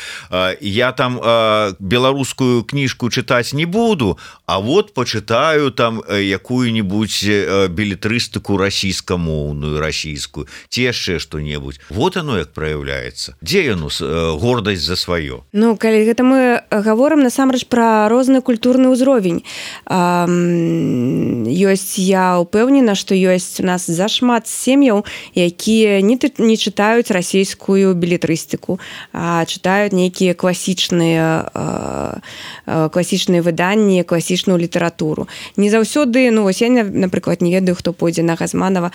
Я там беларускую кніжку чытаць не буду, а вот почитаю там якую-нибудь билетристику билетристику расійскамоўную, расійскую, ці яшчэ што-небудзь. Вот оно як праяўляецца. Дзе яно гордасць за сваё? Ну, калі гэта мы гаворым насамрэч пра розны культурны ўзровень. Ёсць, я ўпэўнена, што ёсць у нас зашмат сем'яў, якія не, не чытаюць расійскую билетристику, а чытаюць нейкія класічныя класічныя выданні, класічную літаратуру. Не заўсёды, ну, вось я, напрыклад, не ведаю, хто пойдзе на Газманова.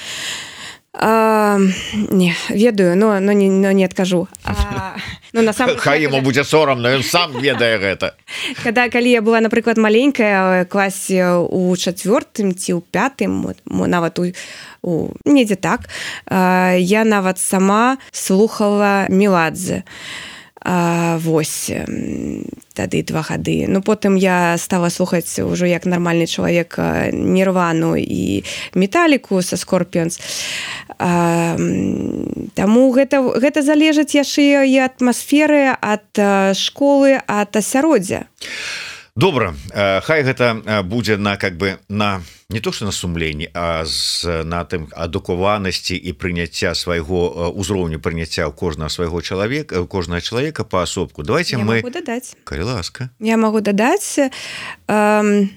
А, не, ведаю, но, но, не, но не адкажу. А, ну, насамрэч, хай яму будзе сорамна, ён сам ведае гэта. Когда, калі я была, напрыклад, маленькая, ў класе у чацвёртым ці ў пятым, нават у, у недзе так, я нават сама слухала Меладзе. А, вось тады два гады. Ну, потым я стала слухаць ўжо як нармальны чалавек Нірвану і Металіку са Скорпіонс. А, таму гэта, гэта залежыць яшчэ і атмасферы, ад школы, ад асяроддзя. Добра, хай гэта будзе на как бы на не то что на сумленні, а з на тым адукаванасці і прыняцця свайго узроўню прыняцця ў кожнага свайго чалавека, кожнага чалавека паасобку. Давайте я мы дадаць. Калі ласка. Я магу дадаць. Эм...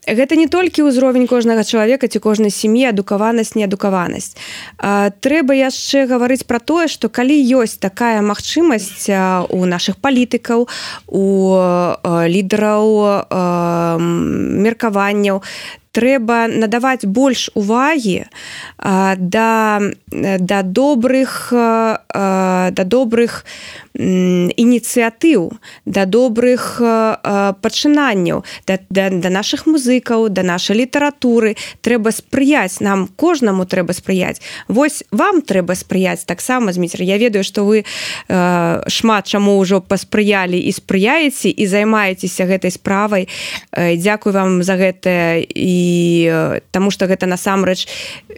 Гэта не толькі ўзровень кожнага чалавека ці кожнай сям'і, адукаванасць, неадукаванасць. Трэба яшчэ гаварыць пра тое, што калі ёсць такая магчымасць у нашых палітыкаў, у лідараў меркаванняў, трэба надаваць больш увагі да, да добрых, да добрых ініцыятыў, да добрых пачынанняў, да, да, да нашых музыкаў, да нашай літаратуры. Трэба спрыяць, нам кожнаму трэба спрыяць. Вось вам трэба спрыяць таксама, Зміцер. Я ведаю, што вы шмат чаму ўжо паспрыялі і спрыяеце і займаецеся гэтай справай. Дзякую вам за гэта і таму што гэта насамрэч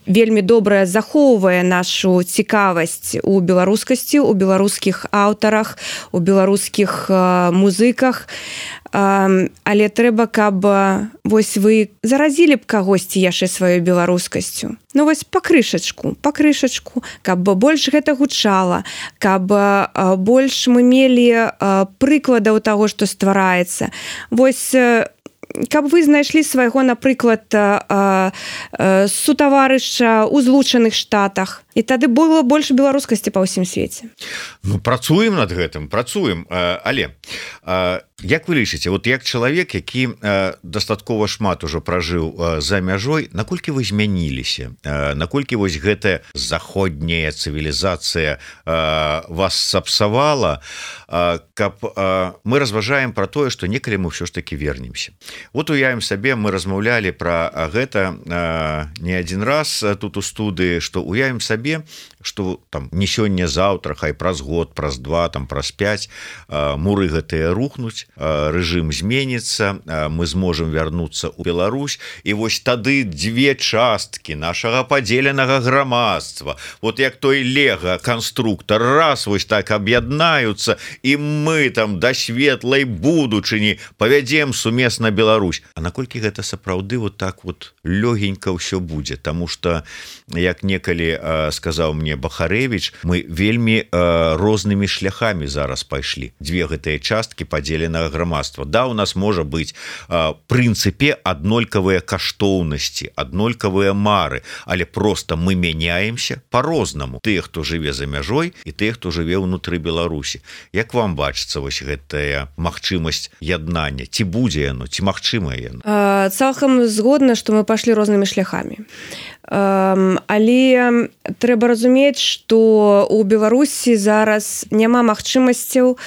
вельмі добра захоўвае нашу цікавасць у беларускасці, у беларускіх аўтарах, у беларускіх музыках. Але трэба, каб вось вы заразілі б кагосьці яшчэ сваёй беларускасцю. Ну вось па крышачку, па крышачку, каб больш гэта гучала, каб больш мы мелі прыкладаў таго, што ствараецца. Вось каб вы знайшлі свайго, напрыклад, сутаварыша ў Злучаных Штатах, і тады было больш беларускасці па ўсім свеце. Ну, працуем над гэтым, працуем. Але як вы лічыце, вот як чалавек, які дастаткова шмат ужо пражыў за мяжой, наколькі вы змяніліся? Наколькі вось гэтая заходняя цывілізацыя вас сапсавала, каб мы разважаем пра тое, што некалі мы ўсё ж такі вернемся. Вот уявім сабе, мы размаўлялі пра гэта не адзін раз тут у студыі, што уявім сабе, што там не сёння-заўтра, хай праз год, праз два, там праз пяць муры гэтыя рухнуць, рэжым зменіцца, мы зможам вярнуцца ў Беларусь, і вось тады дзве часткі нашага падзеленага грамадства, вот як той лего канструктор, раз вось так аб'яднаюцца, і мы там да светлай будучыні павядзем сумесна Беларусь. А наколькі гэта сапраўды вот так вот лёгенька ўсё будзе? Таму што, як некалі сказаў мне Бахарэвіч, мы вельмі рознымі шляхамі зараз пайшлі. Дзве гэтыя часткі падзеленага грамадства. Да, у нас можа быць прынцыпе аднолькавыя каштоўнасці, аднолькавыя мары, але просто мы мяняемся по-рознаму. Тыя, хто жыве за мяжой, і тыя, хто жыве ўнутры Беларусі. Як вам бачыцца вось гэтая магчымасць яднання? Ці будзе яно, ці магчымае яно? Цалкам згодна, што мы пайшлі рознымі шляхамі. Але трэба разумець, што ў Беларусі зараз няма магчымасцяў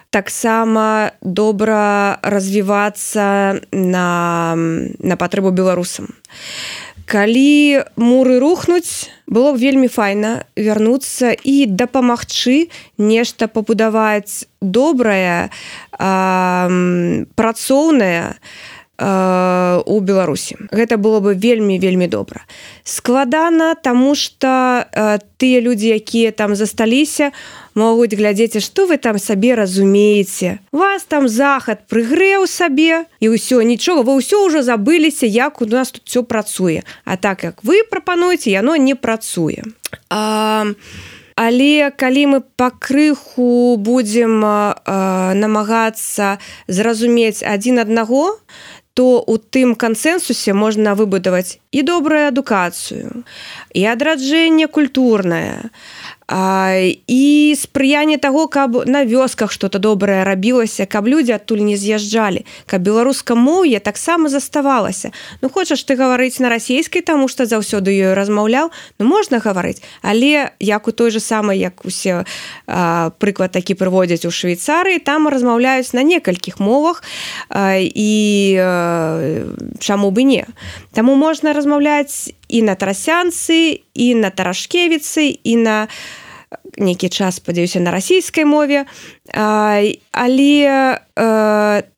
таксама добра развівацца на, на патрэбу беларусам. Калі муры рухнуць, было б вельмі файна вярнуцца і дапамагчы нешта пабудаваць добрае, працоўнае у Беларусі. Гэта было бы вельмі-вельмі добра. Складана, таму што тыя людзі, якія там засталіся, могуць глядзець, што вы там сабе разумееце. Вас там захад прыгрэў сабе, і ўсё, нічога, вы ўсё ўжо забыліся, як у нас тут ўсё працуе. А так, як вы прапануеце, яно не працуе. А... Але калі мы пакрыху будзем намагацца зразумець адзін аднаго, то у тым кансэнсусе можна выбудаваць і добрую адукацыю, і адраджэнне культурнае, і спрыянне таго, каб на вёсках што-то добрае рабілася, каб людзі адтуль не з'язджалі, каб беларускамоўе таксама заставалася. Ну, хочаш ты гаварыць на расейскай, таму што заўсёды ёй размаўляў, ну, можна гаварыць, але як у той же самай, як усе а, прыклад такі прыводзяць у Швейцарыі, там размаўляюць на некалькіх мовах, а, і а, чаму бы не. Таму можна размаўляць і на трасянцы, і на тарашкевіцы, і на нейкі час, спадзяюся, на расійскай мове, але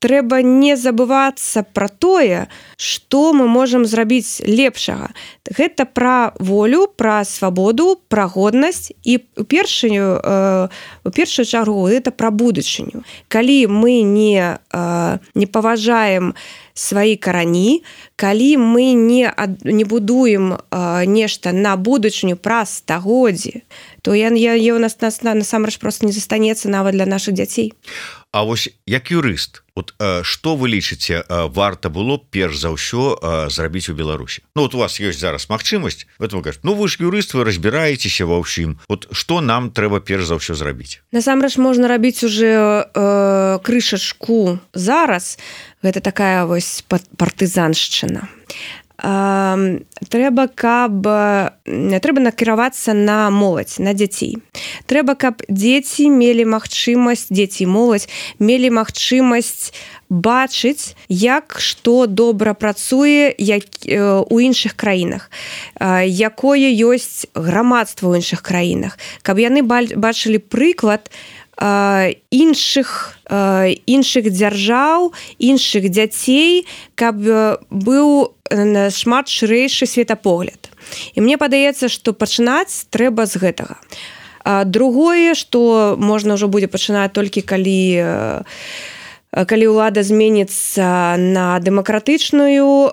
трэба не забывацца пра тое, што мы можам зрабіць лепшага. Гэта пра волю, пра свабоду, пра годнасць і у першую, у першую чаргу гэта пра будучыню. Калі мы не, не паважаем свае карані, калі мы не, не будуем нешта на будучыню праз стагоддзі, то я, я, я у нас, нас насамрэч просто не застанецца нават для нашых дзяцей. А вось як юрыст, от што вы лічыце, варта было перш за ўсё зрабіць у Беларусі? Ну вот у вас ёсць зараз магчымасць, вы кажете, ну вы ж юрыст, вы разбіраецеся ва ўсім. Вот што нам трэба перш за ўсё зрабіць? Насамрэч можна рабіць уже э, крышачку зараз. Гэта такая вось партызаншчына. Трэба, каб трэба накіравацца на моладзь, на дзяцей. Трэба, каб дзеці мелі магчымасць, дзеці і моладзь мелі магчымасць бачыць, як што добра працуе як, у іншых краінах, якое ёсць грамадства ў іншых краінах, каб яны бачылі прыклад іншых іншых дзяржаў, іншых дзяцей, каб быў шмат шырэйшы светапогляд. І мне падаецца, што пачынаць трэба з гэтага. Другое, што можна ўжо будзе пачынаць толькі калі калі ўлада зменіцца на дэмакратычную,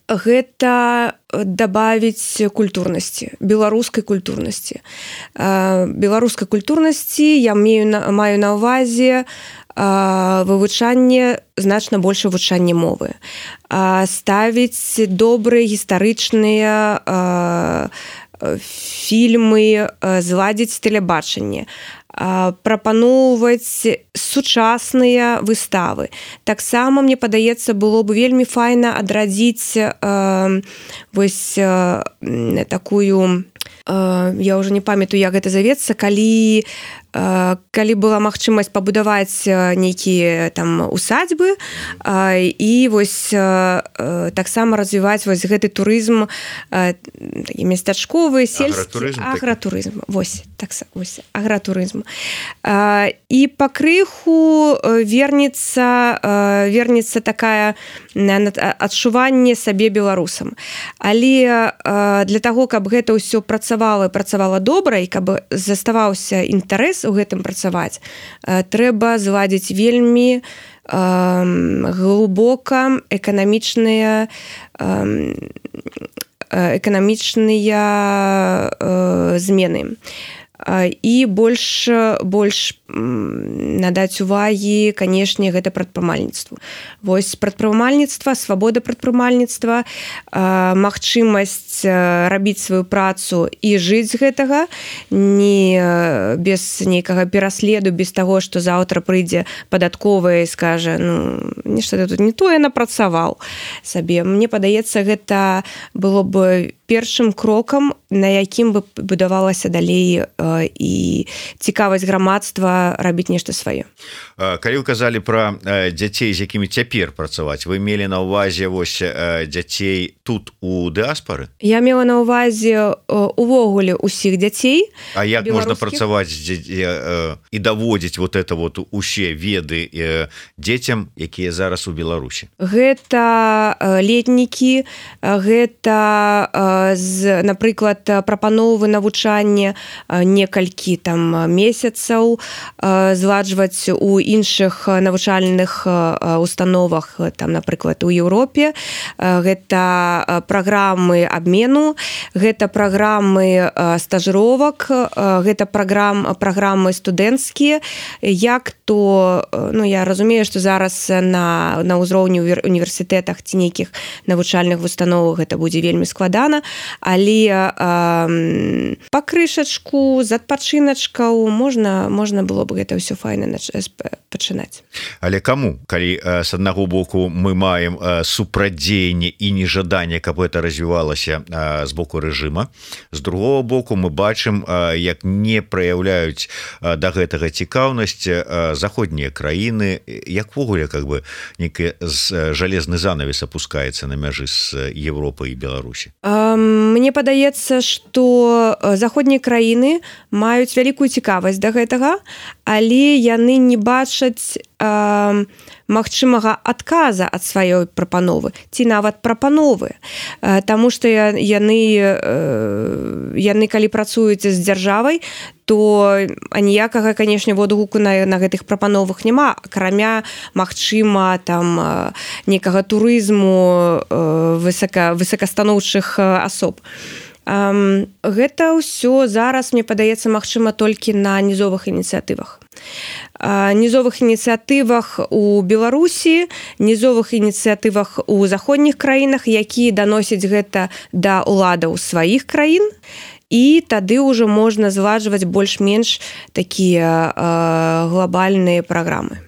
гэта дабавіць культурнасці, беларускай культурнасці. Беларускай культурнасці я маю на ўвазе вывучанне, значна больше вывучанне мовы. Ставіць добрыя гістарычныя фільмы, зладзіць тэлебачанне, прапаноўваць сучасныя выставы. Таксама, мне падаецца, было б вельмі файна адрадзіць э, вось э, такую, э, я ўжо не памятаю, як гэта завецца, калі калі была магчымасць пабудаваць нейкія там усадьбы і вось таксама развіваць вось гэты турызм, такі местачковы, сельскі агратурызм. Вось, так, вось, агратурызм. І пакрыху вернецца, вернецца такая адчуванне сабе беларусам. Але для таго, каб гэта ўсё працавала, працавала добра і каб заставаўся інтарэс у гэтым працаваць, трэба зладзіць вельмі э, глыбока эканамічныя э, эканамічныя э, змены. І больш, больш надаць увагі, канешне, гэта прадпрымальніцтву. Вось прадпрымальніцтва, свабода прадпрымальніцтва, магчымасць рабіць сваю працу і жыць з гэтага, не без нейкага пераследу, без таго, што заўтра прыйдзе падатковая і скажа, ну, нешта тут не тое напрацаваў сабе. Мне падаецца, гэта было б першым крокам, на якім бы будавалася далей і цікавасць грамадства рабіць нешта сваё. Калі вы казалі пра дзяцей, з якімі цяпер працаваць, вы мелі на ўвазе вось дзяцей тут у дыаспары? Я мела на ўвазе увогуле ўсіх дзяцей. А як можна працаваць і даводзіць вот это вот усе веды дзецям, якія зараз у Беларусі? Гэта летнікі, гэта, напрыклад, прапановы навучання некалькі там месяцаў, зладжваць у іншых навучальных установах, там, напрыклад, у Еўропе. Гэта праграмы абмену, гэта праграмы стажыровак, гэта праграм, праграмы студэнцкія. Як то, ну, я разумею, што зараз на, на ўзроўні універсітэтах ці нейкіх навучальных установах гэта будзе вельмі складана, але э, пакрышачку, з адпачыначкаў можна, можна было б гэта ўсё файна пачынаць. Але каму? Калі э, з аднаго боку мы маем э, супрадзеянне і нежаданне, каб гэта развівалася э, з боку рэжыма, з другого боку мы бачым, э, як не праяўляюць э, да гэтага цікаўнасць э, заходнія краіны, як вогуле как бы некий жалезны занавес опускаецца на мяжы з Европы і Беларусі? Мне падаецца, што заходнія краіны маюць вялікую цікавасць да гэтага, але яны не бачаць э, магчымага адказа ад сваёй прапановы ці нават прапановы, э, таму што яны э, яны калі працуюць з дзяржавай, то аніякага, канешне, водгуку на, на гэтых прапановах няма, акрамя магчыма там некага турызму э, высока, высокастаноўчых асоб. Um, гэта ўсё зараз, мне падаецца, магчыма толькі на нізовых ініцыятывах. Uh, нізовых ініцыятывах у Беларусі, нізовых ініцыятывах у заходніх краінах, якія даносяць гэта да ўладаў сваіх краін, і тады ўжо можна зладжваць больш-менш такія uh, глобальныя праграмы.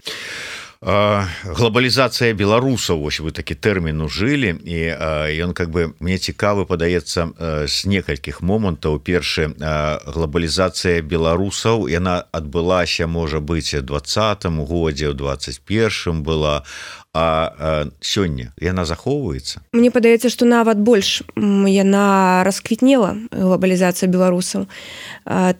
Глобалізацыя беларусаў, вось вы такі тэрмін ужылі, і ён как бы мне цікавы падаецца з некалькіх момантаў. Першы, глобалізацыя беларусаў, яна адбылася, можа быць, у двадцатым годзе, у двадцать першым была, а сёння яна захоўваецца? Мне падаецца, што нават больш яна расквітнела, глобалізацыя беларусаў,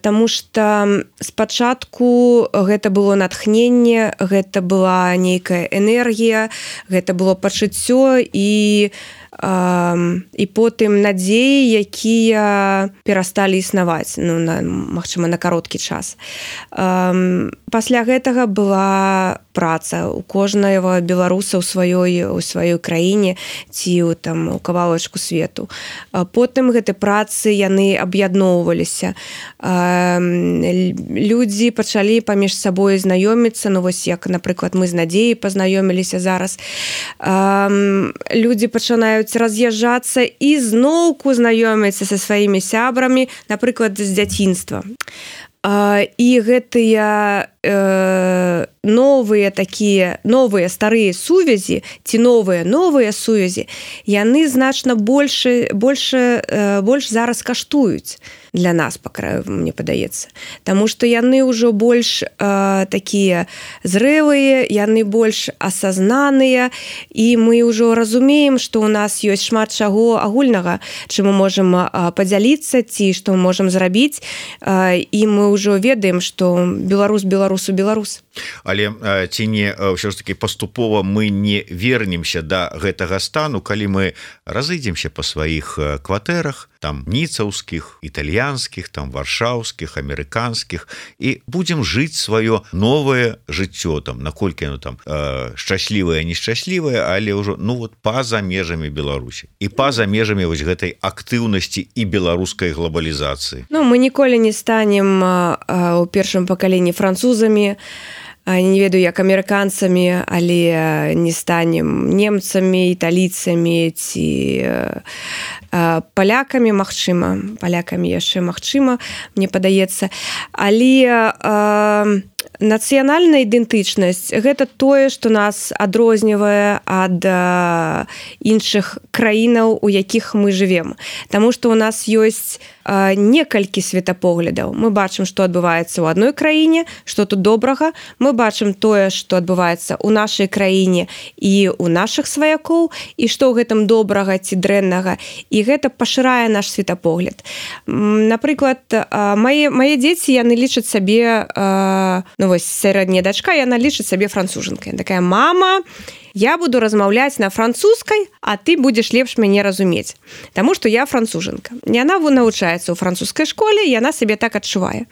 таму што спачатку гэта было натхненне, гэта была нейкая энергія, гэта было пачуццё і і потым надзеі, якія перасталі існаваць, ну, на, магчыма, на кароткі час. Пасля гэтага была праца у кожнага беларуса ў сваёй, у сваёй краіне ці ў, там, у кавалачку свету. Потым гэты працы яны аб'ядноўваліся. Людзі пачалі паміж сабой знаёміцца, ну вось як, напрыклад, мы з Надзеяй пазнаёміліся зараз. Людзі пачынаюць раз'язджацца і зноўку знаёміцца са сваімі сябрамі, напрыклад, з дзяцінства. І гэтыя э, новыя такія, новыя старыя сувязі ці новыя новыя сувязі, яны значна больш, больш, э, больш зараз каштуюць для нас, па краю, мне падаецца. Таму што яны ўжо больш э, такія зрэлыя, яны больш асазнаныя, і мы ўжо разумеем, што ў нас ёсць шмат чаго агульнага, чым мы можам э, падзяліцца, ці што мы можам зрабіць, э, і мы ўжо ведаем, што беларус беларусу беларус. Але э, ці не ўсё ж таки паступова мы не вернемся да гэтага стану, калі мы разыдземся па сваіх кватэрах, там ніцаўскіх, італьянскіх, там варшаўскіх, амерыканскіх, і будзем жыць сваё новае жыццё, там, наколькі оно там э, шчаслівае, нешчаслівае, але ўжо, ну вот, па-за межамі Беларусі і па-за межамі вось гэтай актыўнасці і беларускай глобалізацыі. Ну, мы ніколі не станем э, у першым пакаленні французамі, не ведаю, як амерыканцамі, але не станем немцамі, італійцамі ці палякамі, магчыма, палякамі яшчэ магчыма, мне падаецца. Але э, нацыянальная ідэнтычнасць – гэта тое, што нас адрознівае ад э, іншых краінаў, у якіх мы жывем. Таму што ў нас ёсць э, некалькі светапоглядаў. Мы бачым, што адбываецца ў адной краіне, што тут добрага. Мы бачым тое, што адбываецца ў нашай краіне і ў нашых сваякоў, і што ў гэтым добрага ці дрэннага. І гэта пашырае наш светапогляд. Напрыклад, мае, мае дзеці, яны лічаць сабе, ну вось, сярэдняя дачка, яна лічыць сабе францужанкай. Такая: мама, я буду размаўляць на французскай, а ты будзеш лепш мяне разумець. Таму што я францужанка. Яна навучаецца ў французскай школе, яна сабе так адчувае.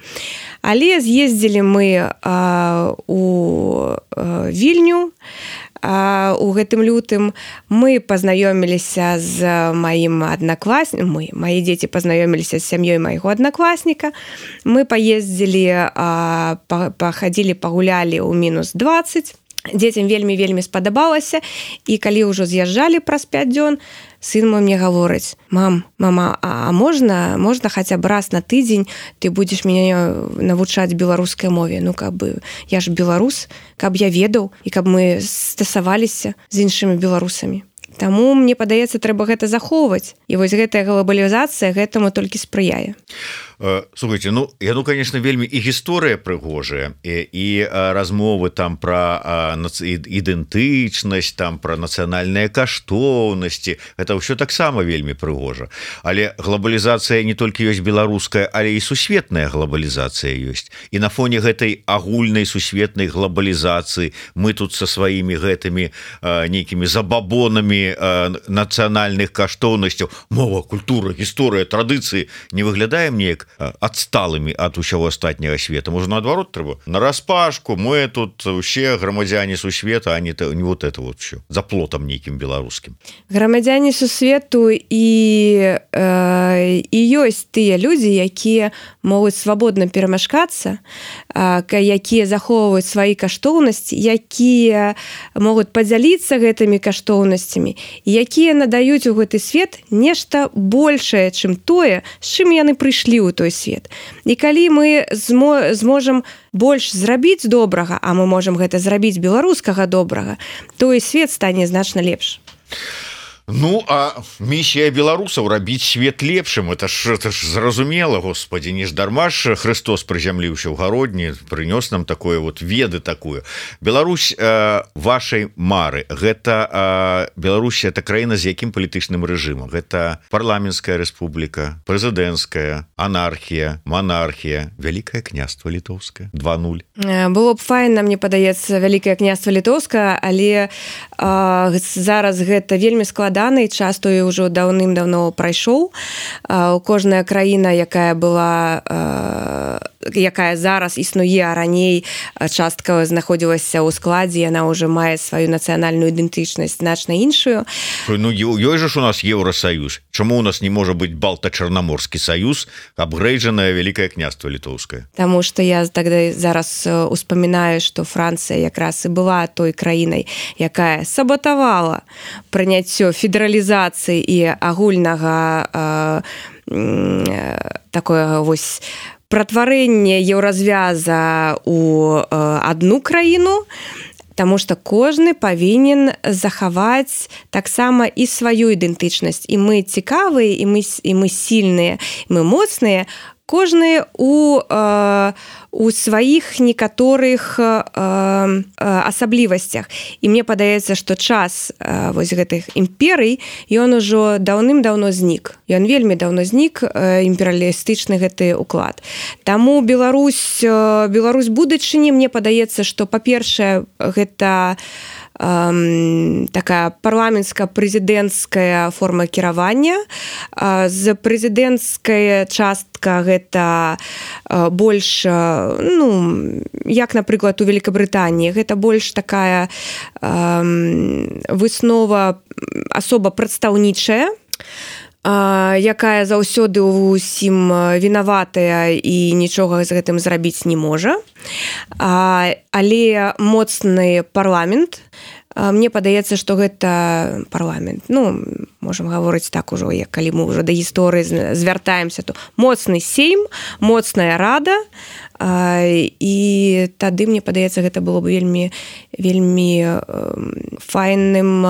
Але з'ездзілі мы а, у а, Вільню, а, у гэтым лютым. Мы пазнаёміліся з маім аднакласнікам, мы, мае дзеці пазнаёміліся з сям'ёй майго аднакласніка. Мы паездзілі, а, пахадзілі, пагулялі ў мінус дваццаць. Дзецям вельмі-вельмі спадабалася, і калі ўжо з'язджалі праз пяць дзён, сын мой мне гаворыць: мам, мама, а можна, можна хаця б раз на тыдзень ты будзеш мяне навучаць беларускай мове? Ну, каб бы, я ж беларус, каб я ведаў, і каб мы стасаваліся з іншымі беларусамі. Таму, мне падаецца, трэба гэта захоўваць. І вось гэтая глобалізацыя гэтаму толькі спрыяе. Слухайте, ну я ну конечно вельмі і гісторыя прыгожая і, і размовы там про ідэнтычнасць, там про нацыянальныя каштоўнасці, это ўсё таксама вельмі прыгожа. Але глобалізацыя не толькі ёсць беларуская, але і сусветная глобалізацыя ёсць. І на фоне гэтай агульнай сусветнай глобалізацыі мы тут со сваімі гэтымі нейкімі забабонамі нацыянальных каштоўнасцяў, мова, культура, гісторыя, традыцыі не выглядаем неяк адсталымі ад усяго астатняга света. Можа, наадварот трэба нараспашку, мы тут усе грамадзяне сусвета, а не, не вот это вот все за плотам нейкім беларускім. Грамадзяне сусвету і, э, і ёсць тыя людзі, якія могуць свабодна перамяшкацца, э, якія захоўваюць свае каштоўнасці, якія могуць падзяліцца гэтымі каштоўнасцямі, якія надаюць у гэты свет нешта большае, чым тое, з чым яны прыйшлі ў той свет. І калі мы змо, зможам больш зрабіць добрага, а мы можам гэта зрабіць беларускага добрага, то і свет стане значна лепш. Ну, а місія беларусаў рабіць свет лепшым, это ж, это ж зразумела, Господи, не ж дарма ж Христос прызямліўся ў гародні, прынёс нам такое вот веды такую. Беларусь э, вашай мары, гэта э, Беларусь, это краіна з якім палітычным рэжымам? Гэта парламенцкая рэспубліка, прэзідэнцкая, анархія, монархія, Вялікае княства літоўскае, два нуль. Было б файна, мне падаецца, Вялікае княства літоўскае, але э, зараз гэта вельмі складана, і часто ўжо даўным-даўно прайшоў. Кожная краіна, якая была, якая зараз існуе, а раней частка знаходзілася ў складзе, яна ўжо мае сваю нацыянальную ідэнтычнасць значна іншую. Ну, ёсць жа у нас Еўросаюз. Чаму у нас не можа быць Балта-Чарнаморскі саюз, абгрэйджанае Вялікае княства літоўскае? Таму што я тогда зараз успамінаю, што Францыя якраз і была той краінай, якая саботавала прыняццё федералізацыі і агульнага э, такое вось пратварэнне еўразвяза у э, адну краіну, Таму што кожны павінен захаваць таксама і сваю ідэнтычнасць. І мы цікавыя, і мы, і мы сільныя, і мы моцныя, кожны у, э, у сваіх некаторых э, э, асаблівасцях. І мне падаецца, што час э, вось гэтых імперый, ён ужо даўным-даўно знік. Ён вельмі даўно знік, э, імперыялістычны гэты ўклад. Таму Беларусь, э, Беларусь будучыні, мне падаецца, што, па-першае, гэта такая парламенцка-прэзідэнцкая форма кіравання. З прэзідэнцкая частка гэта больш, ну, як, напрыклад, у Великабрытаніі, гэта больш такая выснова асоба прадстаўнічая, якая заўсёды ўсім вінаватая і нічога з гэтым зрабіць не можа. Але моцны парламент, мне падаецца, што гэта парламент. Ну, можам гаворыць так ужо, як калі мы ўжо да гісторыі звяртаемся, то моцны сейм, моцная рада, і тады, мне падаецца, гэта было б вельмі, вельмі файным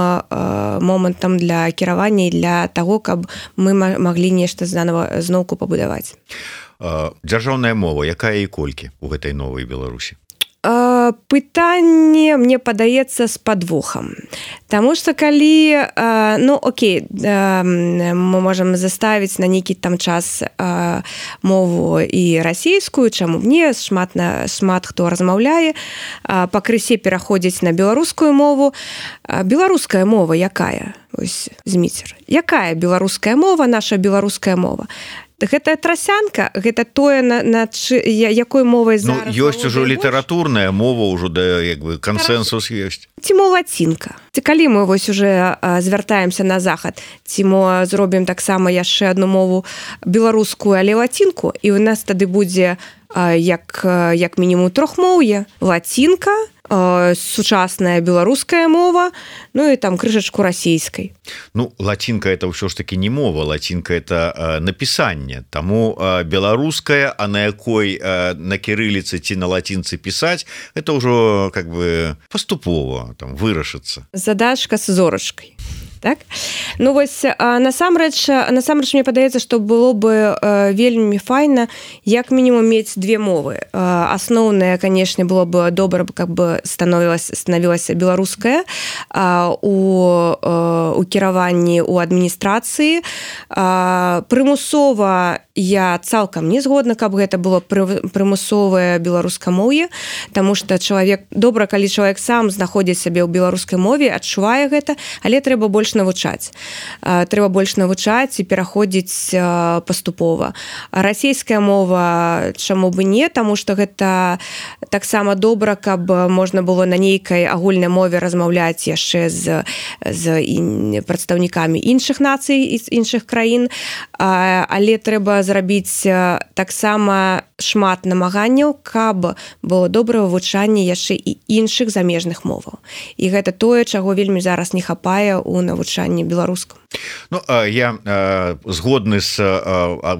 момантам для кіравання і для таго, каб мы маглі нешта занова зноўку пабудаваць. Дзяржаўная мова, якая і колькі ў гэтай новай Беларусі? Пытанне, мне падаецца, з падвохам. Таму што калі, ну, окей, мы можам заставіць на нейкі там час мову і расійскую, чаму мне, шмат, шмат хто размаўляе, пакрысе пераходзіць на беларускую мову. Беларуская мова якая? Ось, Зміцер. Якая беларуская мова, наша беларуская мова? Гэта трасянка, гэта тое, на, на чы, якой мовай зараз... Ну, ёсць ужо літаратурная мова, ўжо да, як бы, кансенсус ёсць. Ці мо лацінка. Ці калі мы вось уже звяртаемся на захад, ці мо зробім таксама яшчэ адну мову беларускую, але лацінку, і ў нас тады будзе як, як мінімум трохмоўе, лацінка, сучасная беларуская мова, ну і там крышачку расійскай. Ну, лацінка это ўсё ж таки не мова, лацінка это э, напісанне. Таму э, беларуская, а на якой э, на кірыліцы ці на лацінцы пісаць, это ўжо как бы паступова там вырашыцца. Задачка з зорачкай. так? Ну вось насамрэч насамрэч мне падаецца, што было бы вельмі файна як мінімум мець две мовы. Асноўная, канешне, было бы добра, каб бы становілася станавілася беларуская у у кіраванні у адміністрацыі. Прымусова я цалкам не згодна, каб гэта было прымусовае беларускамоўе, таму што чалавек добра, калі чалавек сам знаходзіць сябе ў беларускай мове, адчувае гэта, але трэба больш навучаць. Трэба больш навучаць і пераходзіць паступова. Расійская мова чаму бы не, таму што гэта таксама добра, каб можна было на нейкай агульнай мове размаўляць яшчэ з, з прадстаўнікамі іншых нацый, з іншых краін, але трэба зрабіць таксама шмат намаганняў, каб было добрае вывучанне яшчэ і іншых замежных моваў. І гэта тое, чаго вельмі зараз не хапае ў навучанні беларускам. Ну, я згодны з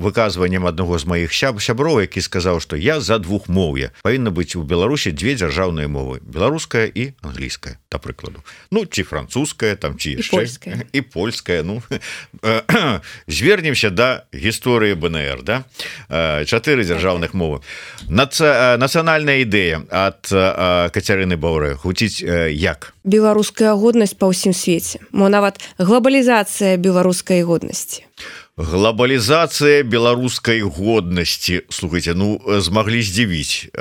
выказваннем аднаго з маіх сяброў, які сказаў, што я за двухмоўе. Павінна быць у Беларусі две дзяржаўныя мовы: беларуская і англійская, да прыкладу. Ну, ці французская, там ці яшчэ. І польская. І польская. Ну, звернемся да гісторыі бэ эн эр, да? Чатыры дзяржаўных мовы. Наца... Нацыянальная ідэя ад Кацярыны Баўрэ гучыць як? Беларуская годнасць па ўсім свеце. Мо нават глобалізацыя беларускай годнасці. Глобалізацыя беларускай годнасці. Слухайте, ну змаглі здзівіць.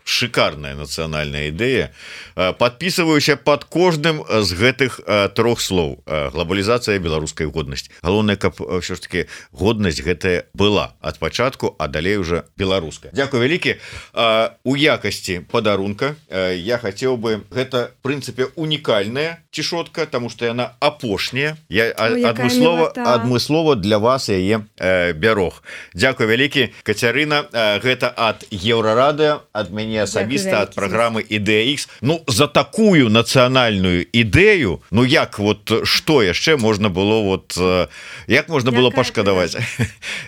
Шикарная нацыянальная ідэя. Падпісваюся под кожным з гэтых трох слоў. Глобалізацыя беларускай годнасці. Галоўнае, каб ўсё ж таки годнасць гэтая была ад пачатку, а далей уже беларуская. Дзякуй вялікі. У якасці падарунка я хацеў бы, гэта в прынцыпе унікальная цішотка, таму што яна апошняя. Я адмыслова адмыслова для вас яе э, бярог. Дзякуй вялікі, Кацярына. Э, гэта ад Еўрарадыё, ад мяне асабіста, ад праграмы Ідэя Ікс. Ну, за такую нацыянальную ідэю, ну як, вот, што яшчэ можна было, вот, э, як можна было пашкадаваць?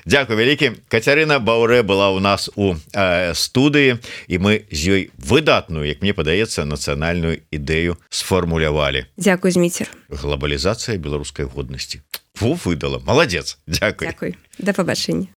Дзякуй вялікі. Кацярына Баўрэ была у нас у э, студыі, і мы з ёй выдатную, як мне падаецца, нацыянальную ідэю сфармулявалі. Дзякуй, Зміцер. Глобалізацыя беларускай годнасці. Во, выдала. Молодец. Дякую. Дякую. До побачення.